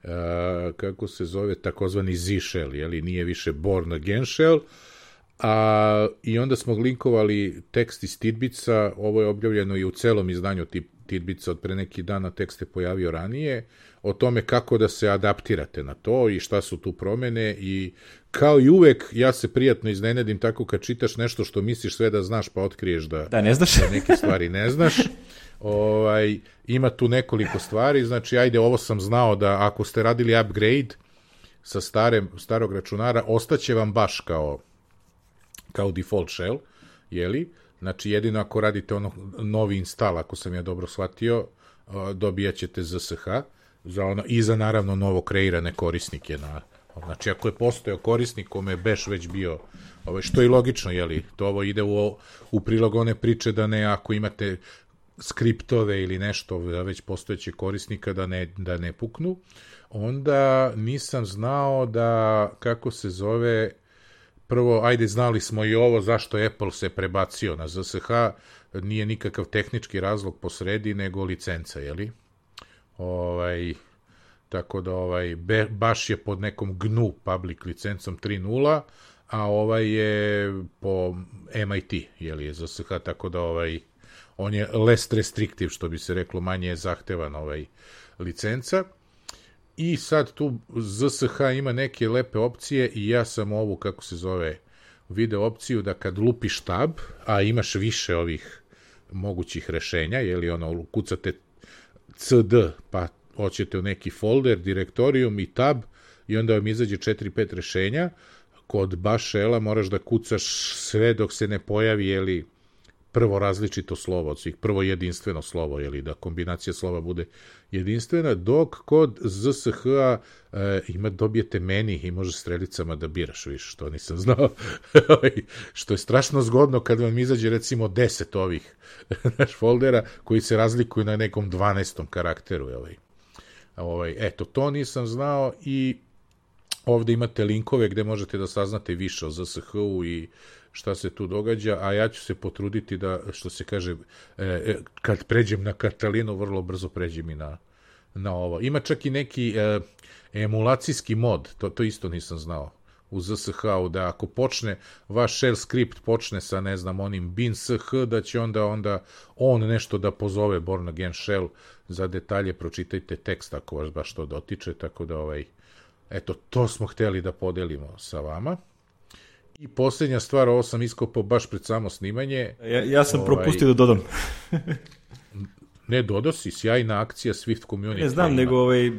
uh, kako se zove, takozvani Z shell, jeli, nije više born again shell. A, i onda smo linkovali tekst iz Tidbitsa, ovo je objavljeno i u celom izdanju Tidbitsa od pre neki dana, tekst je pojavio ranije, o tome kako da se adaptirate na to i šta su tu promene i kao i uvek ja se prijatno iznenadim tako kad čitaš nešto što misliš sve da znaš pa otkriješ da, da, ne znaš. Da neke stvari ne znaš. Ovaj, ima tu nekoliko stvari, znači ajde ovo sam znao da ako ste radili upgrade sa stare, starog računara, ostaće vam baš kao kao default shell, jeli? Znači, jedino ako radite ono novi install, ako sam ja dobro shvatio, dobijat ćete Z S H za ono, i za naravno novo kreirane korisnike. Na, znači, ako je postojao korisnik kome je bash već bio, ovaj, što je logično, jeli? To ovo ide u, u prilog one priče da ne, ako imate skriptove ili nešto već postojeće korisnika da ne, da ne puknu, onda nisam znao da, kako se zove, prvo, ajde, znali smo i ovo zašto Apple se prebacio na Z S H, nije nikakav tehnički razlog po sredi, nego licenca, jeli? Ovaj, tako da ovaj, be, baš je pod nekom G N U public licencom tri nula, a ovaj je po M I T, jeli, je Z S H, tako da ovaj, on je less restrictive, što bi se reklo, manje je zahtevan ovaj licenca. I sad tu Z S H ima neke lepe opcije i ja sam ovu, kako se zove, video opciju da kad lupiš tab, a imaš više ovih mogućih rešenja, jeli ono, kucate C D, pa hoćete u neki folder, direktorijum i tab, i onda vam izađe četiri pet rešenja, kod baš shella moraš da kucaš sve dok se ne pojavi, jeli, prvo različito slovo od svih, prvo jedinstveno slovo, jeli, da kombinacija slova bude jedinstvena, dok kod Z S H-a e, ima, dobijete meni i može strelicama da biraš više, što nisam znao, što je strašno zgodno kad vam izađe recimo deset ovih naš foldera koji se razlikuju na nekom dvanaestom karakteru. Ovaj. Ovaj, eto, to nisam znao i ovde imate linkove gde možete da saznate više o Z S H-u i šta se tu događa, a ja ću se potruditi da, što se kaže, e, kad pređem na Katalinu, vrlo brzo pređem i na, na ovo. Ima čak i neki e, emulacijski mod, to, to isto nisam znao, u Z S H-u, da ako počne, vaš shell script počne sa, ne znam, onim bin sh, da će onda, onda on nešto da pozove born again shell. Za detalje pročitajte tekst ako vas baš to dotiče, tako da, ovaj, eto, to smo hteli da podelimo sa vama. I posljednja stvar, ovo sam iskopao baš pred samo snimanje. Ja, ja sam ovaj, propustio da dodam. Ne, dodao si, sjajna akcija Swift Community. Ne znam, nego ovaj,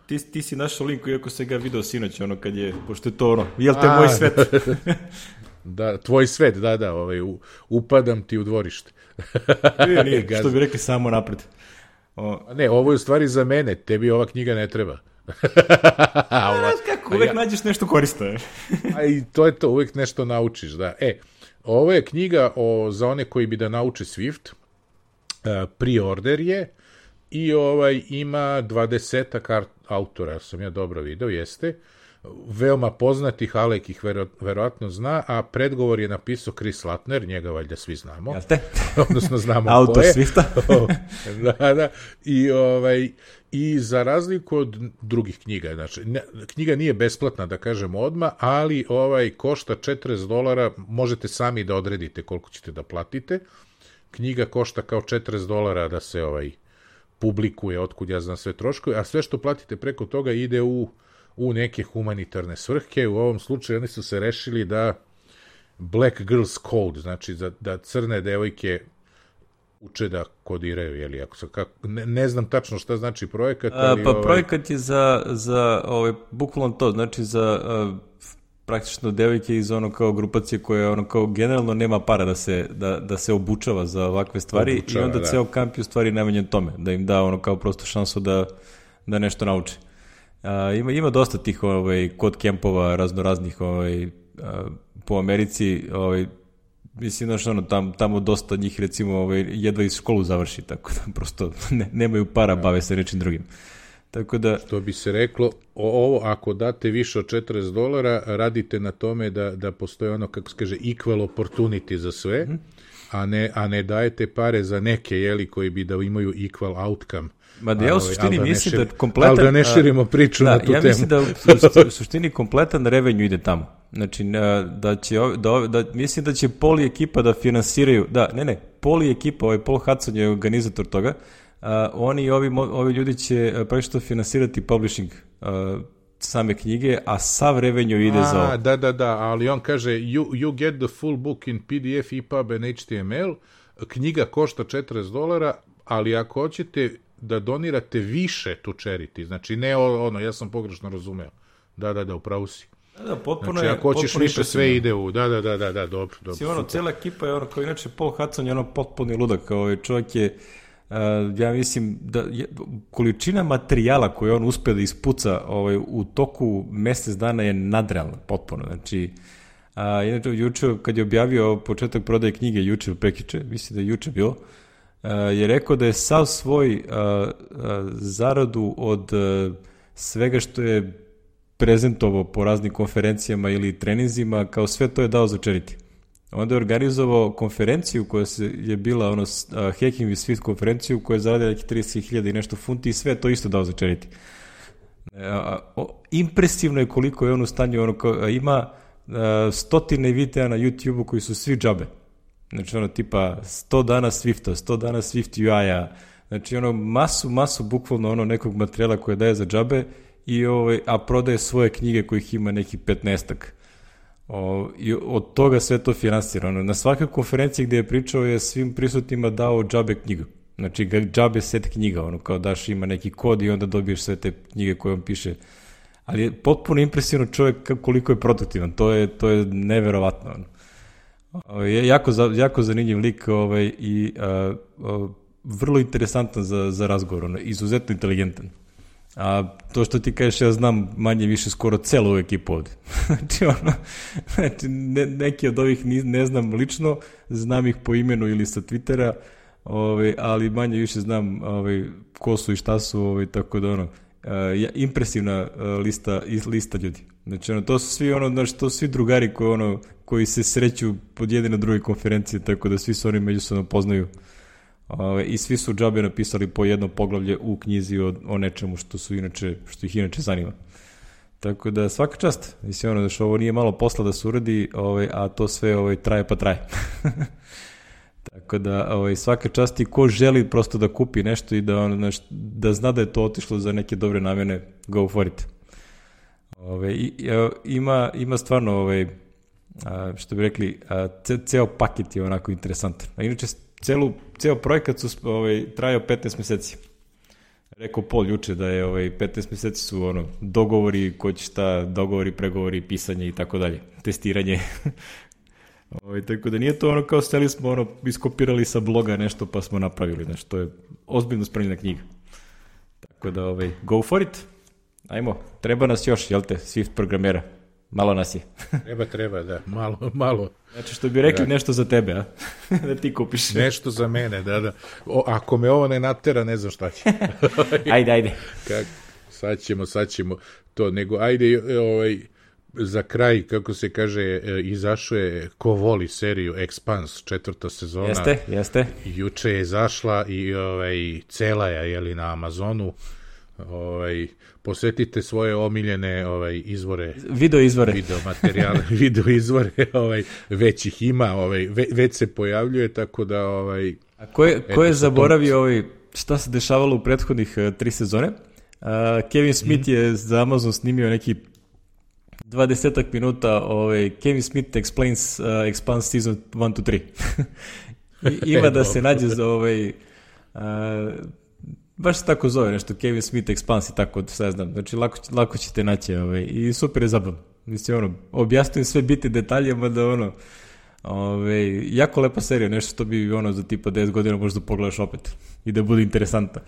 ti, ti si našao linku, iako se ga video sinoć, ono, kad je, pošto je to ono, jel te A, moj svet? Da, tvoj svet, da, da, ovaj, u, upadam ti u dvorište. Nije, nije, što bi rekli, samo napred. O... Ne, ovo je u stvari za mene, tebi ova knjiga ne treba. A, znaš kako Uvek, uvek ja... nađeš nešto korisno. A i to je to, uvek nešto naučiš, da. E, ovo je knjiga o, za one koji bi da nauče Swift, uh, pre-order je, i ovaj ima dvadesetak autora, sam ja dobro video, jeste, veoma poznatih, Alek ih vero, verovatno zna, a predgovor je napisao Chris Lattner, njega valjda svi znamo. Jeste? Odnosno znamo autor ko je. Swifta. da, da. I, ovaj, I za razliku od drugih knjiga, znači, ne, knjiga nije besplatna, da kažem odmah, ali ovaj košta četrdeset dolara, možete sami da odredite koliko ćete da platite. Knjiga košta kao četrdeset dolara da se ovaj publikuje, otkud ja znam sve troškove, a sve što platite preko toga ide u, u neke humanitarne svrhe. U ovom slučaju oni su se rešili da Black Girls Code, znači da, da crne devojke uče da kodiraju, jeli, ako se, kako, ne, ne znam tačno šta znači projekat, ali... A, pa ovaj... projekat je za, za ovaj, bukvalno to, znači za uh, praktično devojke iz ono kao grupacije koje ono kao generalno nema para da se, da, da se obučava za ovakve stvari obučava, i onda da. Ceo kamp je u stvari namenjen tome, da im da ono kao prosto šansu da, da nešto nauče. A, ima, ima dosta tih ovaj, kod kempova raznoraznih ovaj, a, po Americi, ovaj, mislim, znaš, ono, tam, tamo dosta njih, recimo, ovaj, jedva iz školu završi, tako da prosto ne, nemaju para, bave se nečim drugim. Tako da... Što bi se reklo, ovo, ako date više od četrdeset dolara, radite na tome da, da postoje ono, kako se kaže, equal opportunity za sve, mm-hmm. a, ne, a ne dajete pare za neke, jeli, koji bi da imaju equal outcome. Ma da ja u suštini da mislim šir... da kompletan... Ali da ne širimo priču da, na tu temu. Ja mislim da u suštini kompletan revenue ide tamo. Znači, da će, da, da, mislim da će Poli ekipa da finansiraju, da, ne, ne, Poli ekipa, ovaj Paul Hudson je organizator toga, uh, oni i ovi, ovi ljudi će pravišto finansirati publishing uh, same knjige, a sav revenue ide a, za ovo. Da, da, da, ali on kaže, you, you get the full book in P D F, E P U B and H T M L, knjiga košta četrdeset dolara, ali ako hoćete da donirate više tu charity, znači ne ono, ja sam pogrešno razumeo, da, da, da, upravo si. Da, da, potpuno znači, je, ako hoćeš više, sve ide u, da, da, da, da, da, dobro, dobro. Si, ono, cela ekipa je ono, kao inače, Paul Hudson je ono potpuni ludak, kao ovaj čovjek je, uh, ja mislim, da je, količina materijala koju on uspe da ispuca ovaj, u toku mesec dana je nadrealna, potpuno, znači, uh, inače, juče, kad je objavio početak prodaje knjige, juče, prekiče, mislim da je juče bilo, uh, je rekao da je sav svoj uh, uh, zaradu od uh, svega što je prezentovao po raznim konferencijama ili treninzima, kao sve to je dao za charity. Onda je organizovao konferenciju koja se je bila ono uh, Hacking with Swift konferenciju koja je zaradila nekih trideset hiljada i nešto funti i sve to isto dao za charity. Uh, uh, impresivno je koliko je on u stanju, ono kao, uh, ima uh, stotine videa na YouTube-u koji su svi džabe. Znači ono tipa sto dana Swifta, sto dana Swift U I-a, znači ono masu, masu bukvalno ono nekog materijala koje daje za džabe i ovaj, a prodaje svoje knjige kojih ima neki petnaestak. O, i od toga sve to finansirano. Na svakoj konferenciji gde je pričao je svim prisutnima dao džabe knjigu. Znači džabe set knjiga, ono kao daš ima neki kod i onda dobiješ sve te knjige koje on piše. Ali je potpuno impresivno čovjek koliko je produktivan. To je, to je neverovatno. Ono. Je jako, jako zanimljiv lik ovaj, i a, a, vrlo interesantan za, za razgovor. Ono, izuzetno inteligentan. A to što ti kažeš, ja znam manje više skoro celu ekipu ovde. znači, ono, znači ne, neki od ovih ne, ne znam lično, znam ih po imenu ili sa Twittera, ovaj, ali manje više znam ovaj, ko su i šta su, ovaj, tako da ono, uh, impresivna uh, lista, lista ljudi. Znači, ono, to su svi, ono, znači, to su svi drugari koji, ono, koji se sreću pod jedne na druge konferencije, tako da svi se oni međusobno poznaju. Ove, i svi su džabe napisali po jedno poglavlje u knjizi o, o nečemu što su inače, što ih inače zanima. Tako da svaka čast, mislim ono da što ovo nije malo posla da se uradi, ove, a to sve ove, traje pa traje. Tako da ove, svaka čast i ko želi prosto da kupi nešto i da, ono, znaš, da zna da je to otišlo za neke dobre namene, go for it. Ove, i, ima, ima stvarno, ove, a, što bi rekli, a, ce, ceo paket je onako interesantan. A inače, Celu, ceo projekat su ovaj, trajao petnaest meseci. Rekao Paul juče da je ovaj, petnaest meseci su ono, dogovori, ko će šta, dogovori, pregovori, pisanje i tako dalje, testiranje. ovaj, tako da nije to ono kao steli smo ono, iskopirali sa bloga nešto pa smo napravili, znači to je ozbiljno spremljena knjiga. Tako da ovaj, go for it. Ajmo, treba nas još, jel te, Swift programera? Malo nas je. Treba, treba, da, malo, malo. Znači što bi rekli da. Nešto za tebe, a? Da ti kupiš. Nešto za mene, da, da. O, ako me ovo ne natera, ne znam šta će. Ajde, ajde. Kak, sad ćemo, sad ćemo to, nego ajde, ovaj, za kraj, kako se kaže, izašao je ko voli seriju Expanse, četvrta sezona. Jeste, jeste. Juče je izašla i ovaj, cela je, jeli, na Amazonu. Ovaj, posvetite svoje omiljene ovaj, izvore. Video izvore. Video materijale, video izvore, ovaj, već ih ima, ovaj, ve, već se pojavljuje, tako da... Ovaj, A ko je, ko je zaboravio ovaj, šta se dešavalo u prethodnih uh, tri sezone? Uh, Kevin Smith mm. je za Amazon snimio neki dvadesetak minuta ovaj, Kevin Smith Explains uh, Expanse Season one to three. Ima da se nađe za ovaj... Uh, baš se tako zove nešto, Kevin Smith Expanse i tako, sve znam. Znači, lako, lako ćete naći ovaj, i super je zabavno. Mislim, ono, objasnujem sve biti detaljima da ono, ovaj, jako lepa serija, nešto što bi ono za tipa deset godina možda pogledaš opet i da bude interesantno.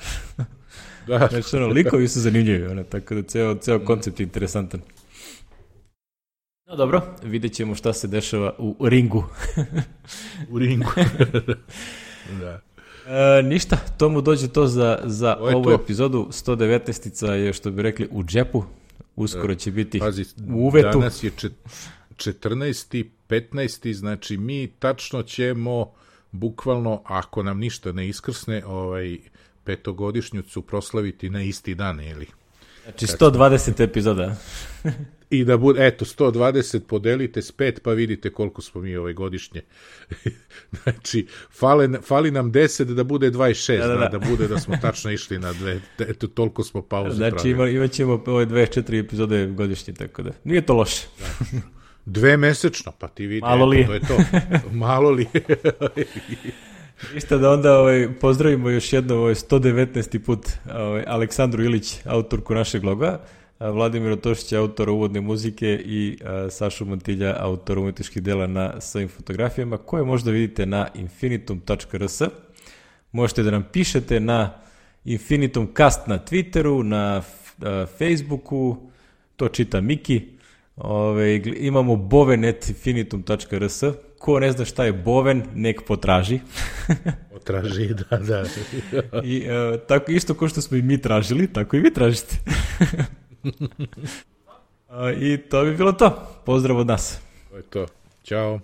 Da. Znači, ono, likovi su zanimljivi, ono, tako da ceo, ceo koncept je interesantan. No dobro, vidjet ćemo šta se dešava u ringu. U ringu. Da. E, ništa, to mu dođe to za, za ovu to. epizodu. sto devetnaestica je, što bi rekli, u džepu. Uskoro će biti Pazi, u uvetu. Danas je četrnaesti, petnaesti znači mi tačno ćemo bukvalno, ako nam ništa ne iskrsne, ovaj, petogodišnjicu proslaviti na isti dan, ili? Znači sto dvadeset epizoda. I da bude, eto, sto dvadeset podelite s pet, pa vidite koliko smo mi ovaj godišnje. Znači, fale, fali nam deset da bude dvadeset šest, da, da, da. da bude da smo tačno išli na dve, eto, toliko smo pauzu znači, pravili. Znači, imat ćemo ove dvadeset četiri epizode godišnje, tako da, nije to loše. Da. Dve mesečno, pa ti vidi, malo li. Eto, to je to. Malo li. Isto da onda ovaj, pozdravimo još jedno ovaj, sto devetnaesti put ovaj, Aleksandru Ilić, autorku našeg loga, Vladimir Tošić, autor uvodne muzike i a, Sašu Mantilja, autor umetničkih dela na svojim fotografijama, koje možda vidite na infinitum tačka r s. Možete da nam pišete na infinitumcast na Twitteru, na a, Facebooku, to čita Miki. Ove, imamo boven at infinitum tačka r s. Ko ne zna šta je boven, nek potraži. Potraži, da, da. I a, tako isto kao što smo i mi tražili, tako i vi tražite. I to bi bilo to. Pozdrav od nas. To je to. Ćao.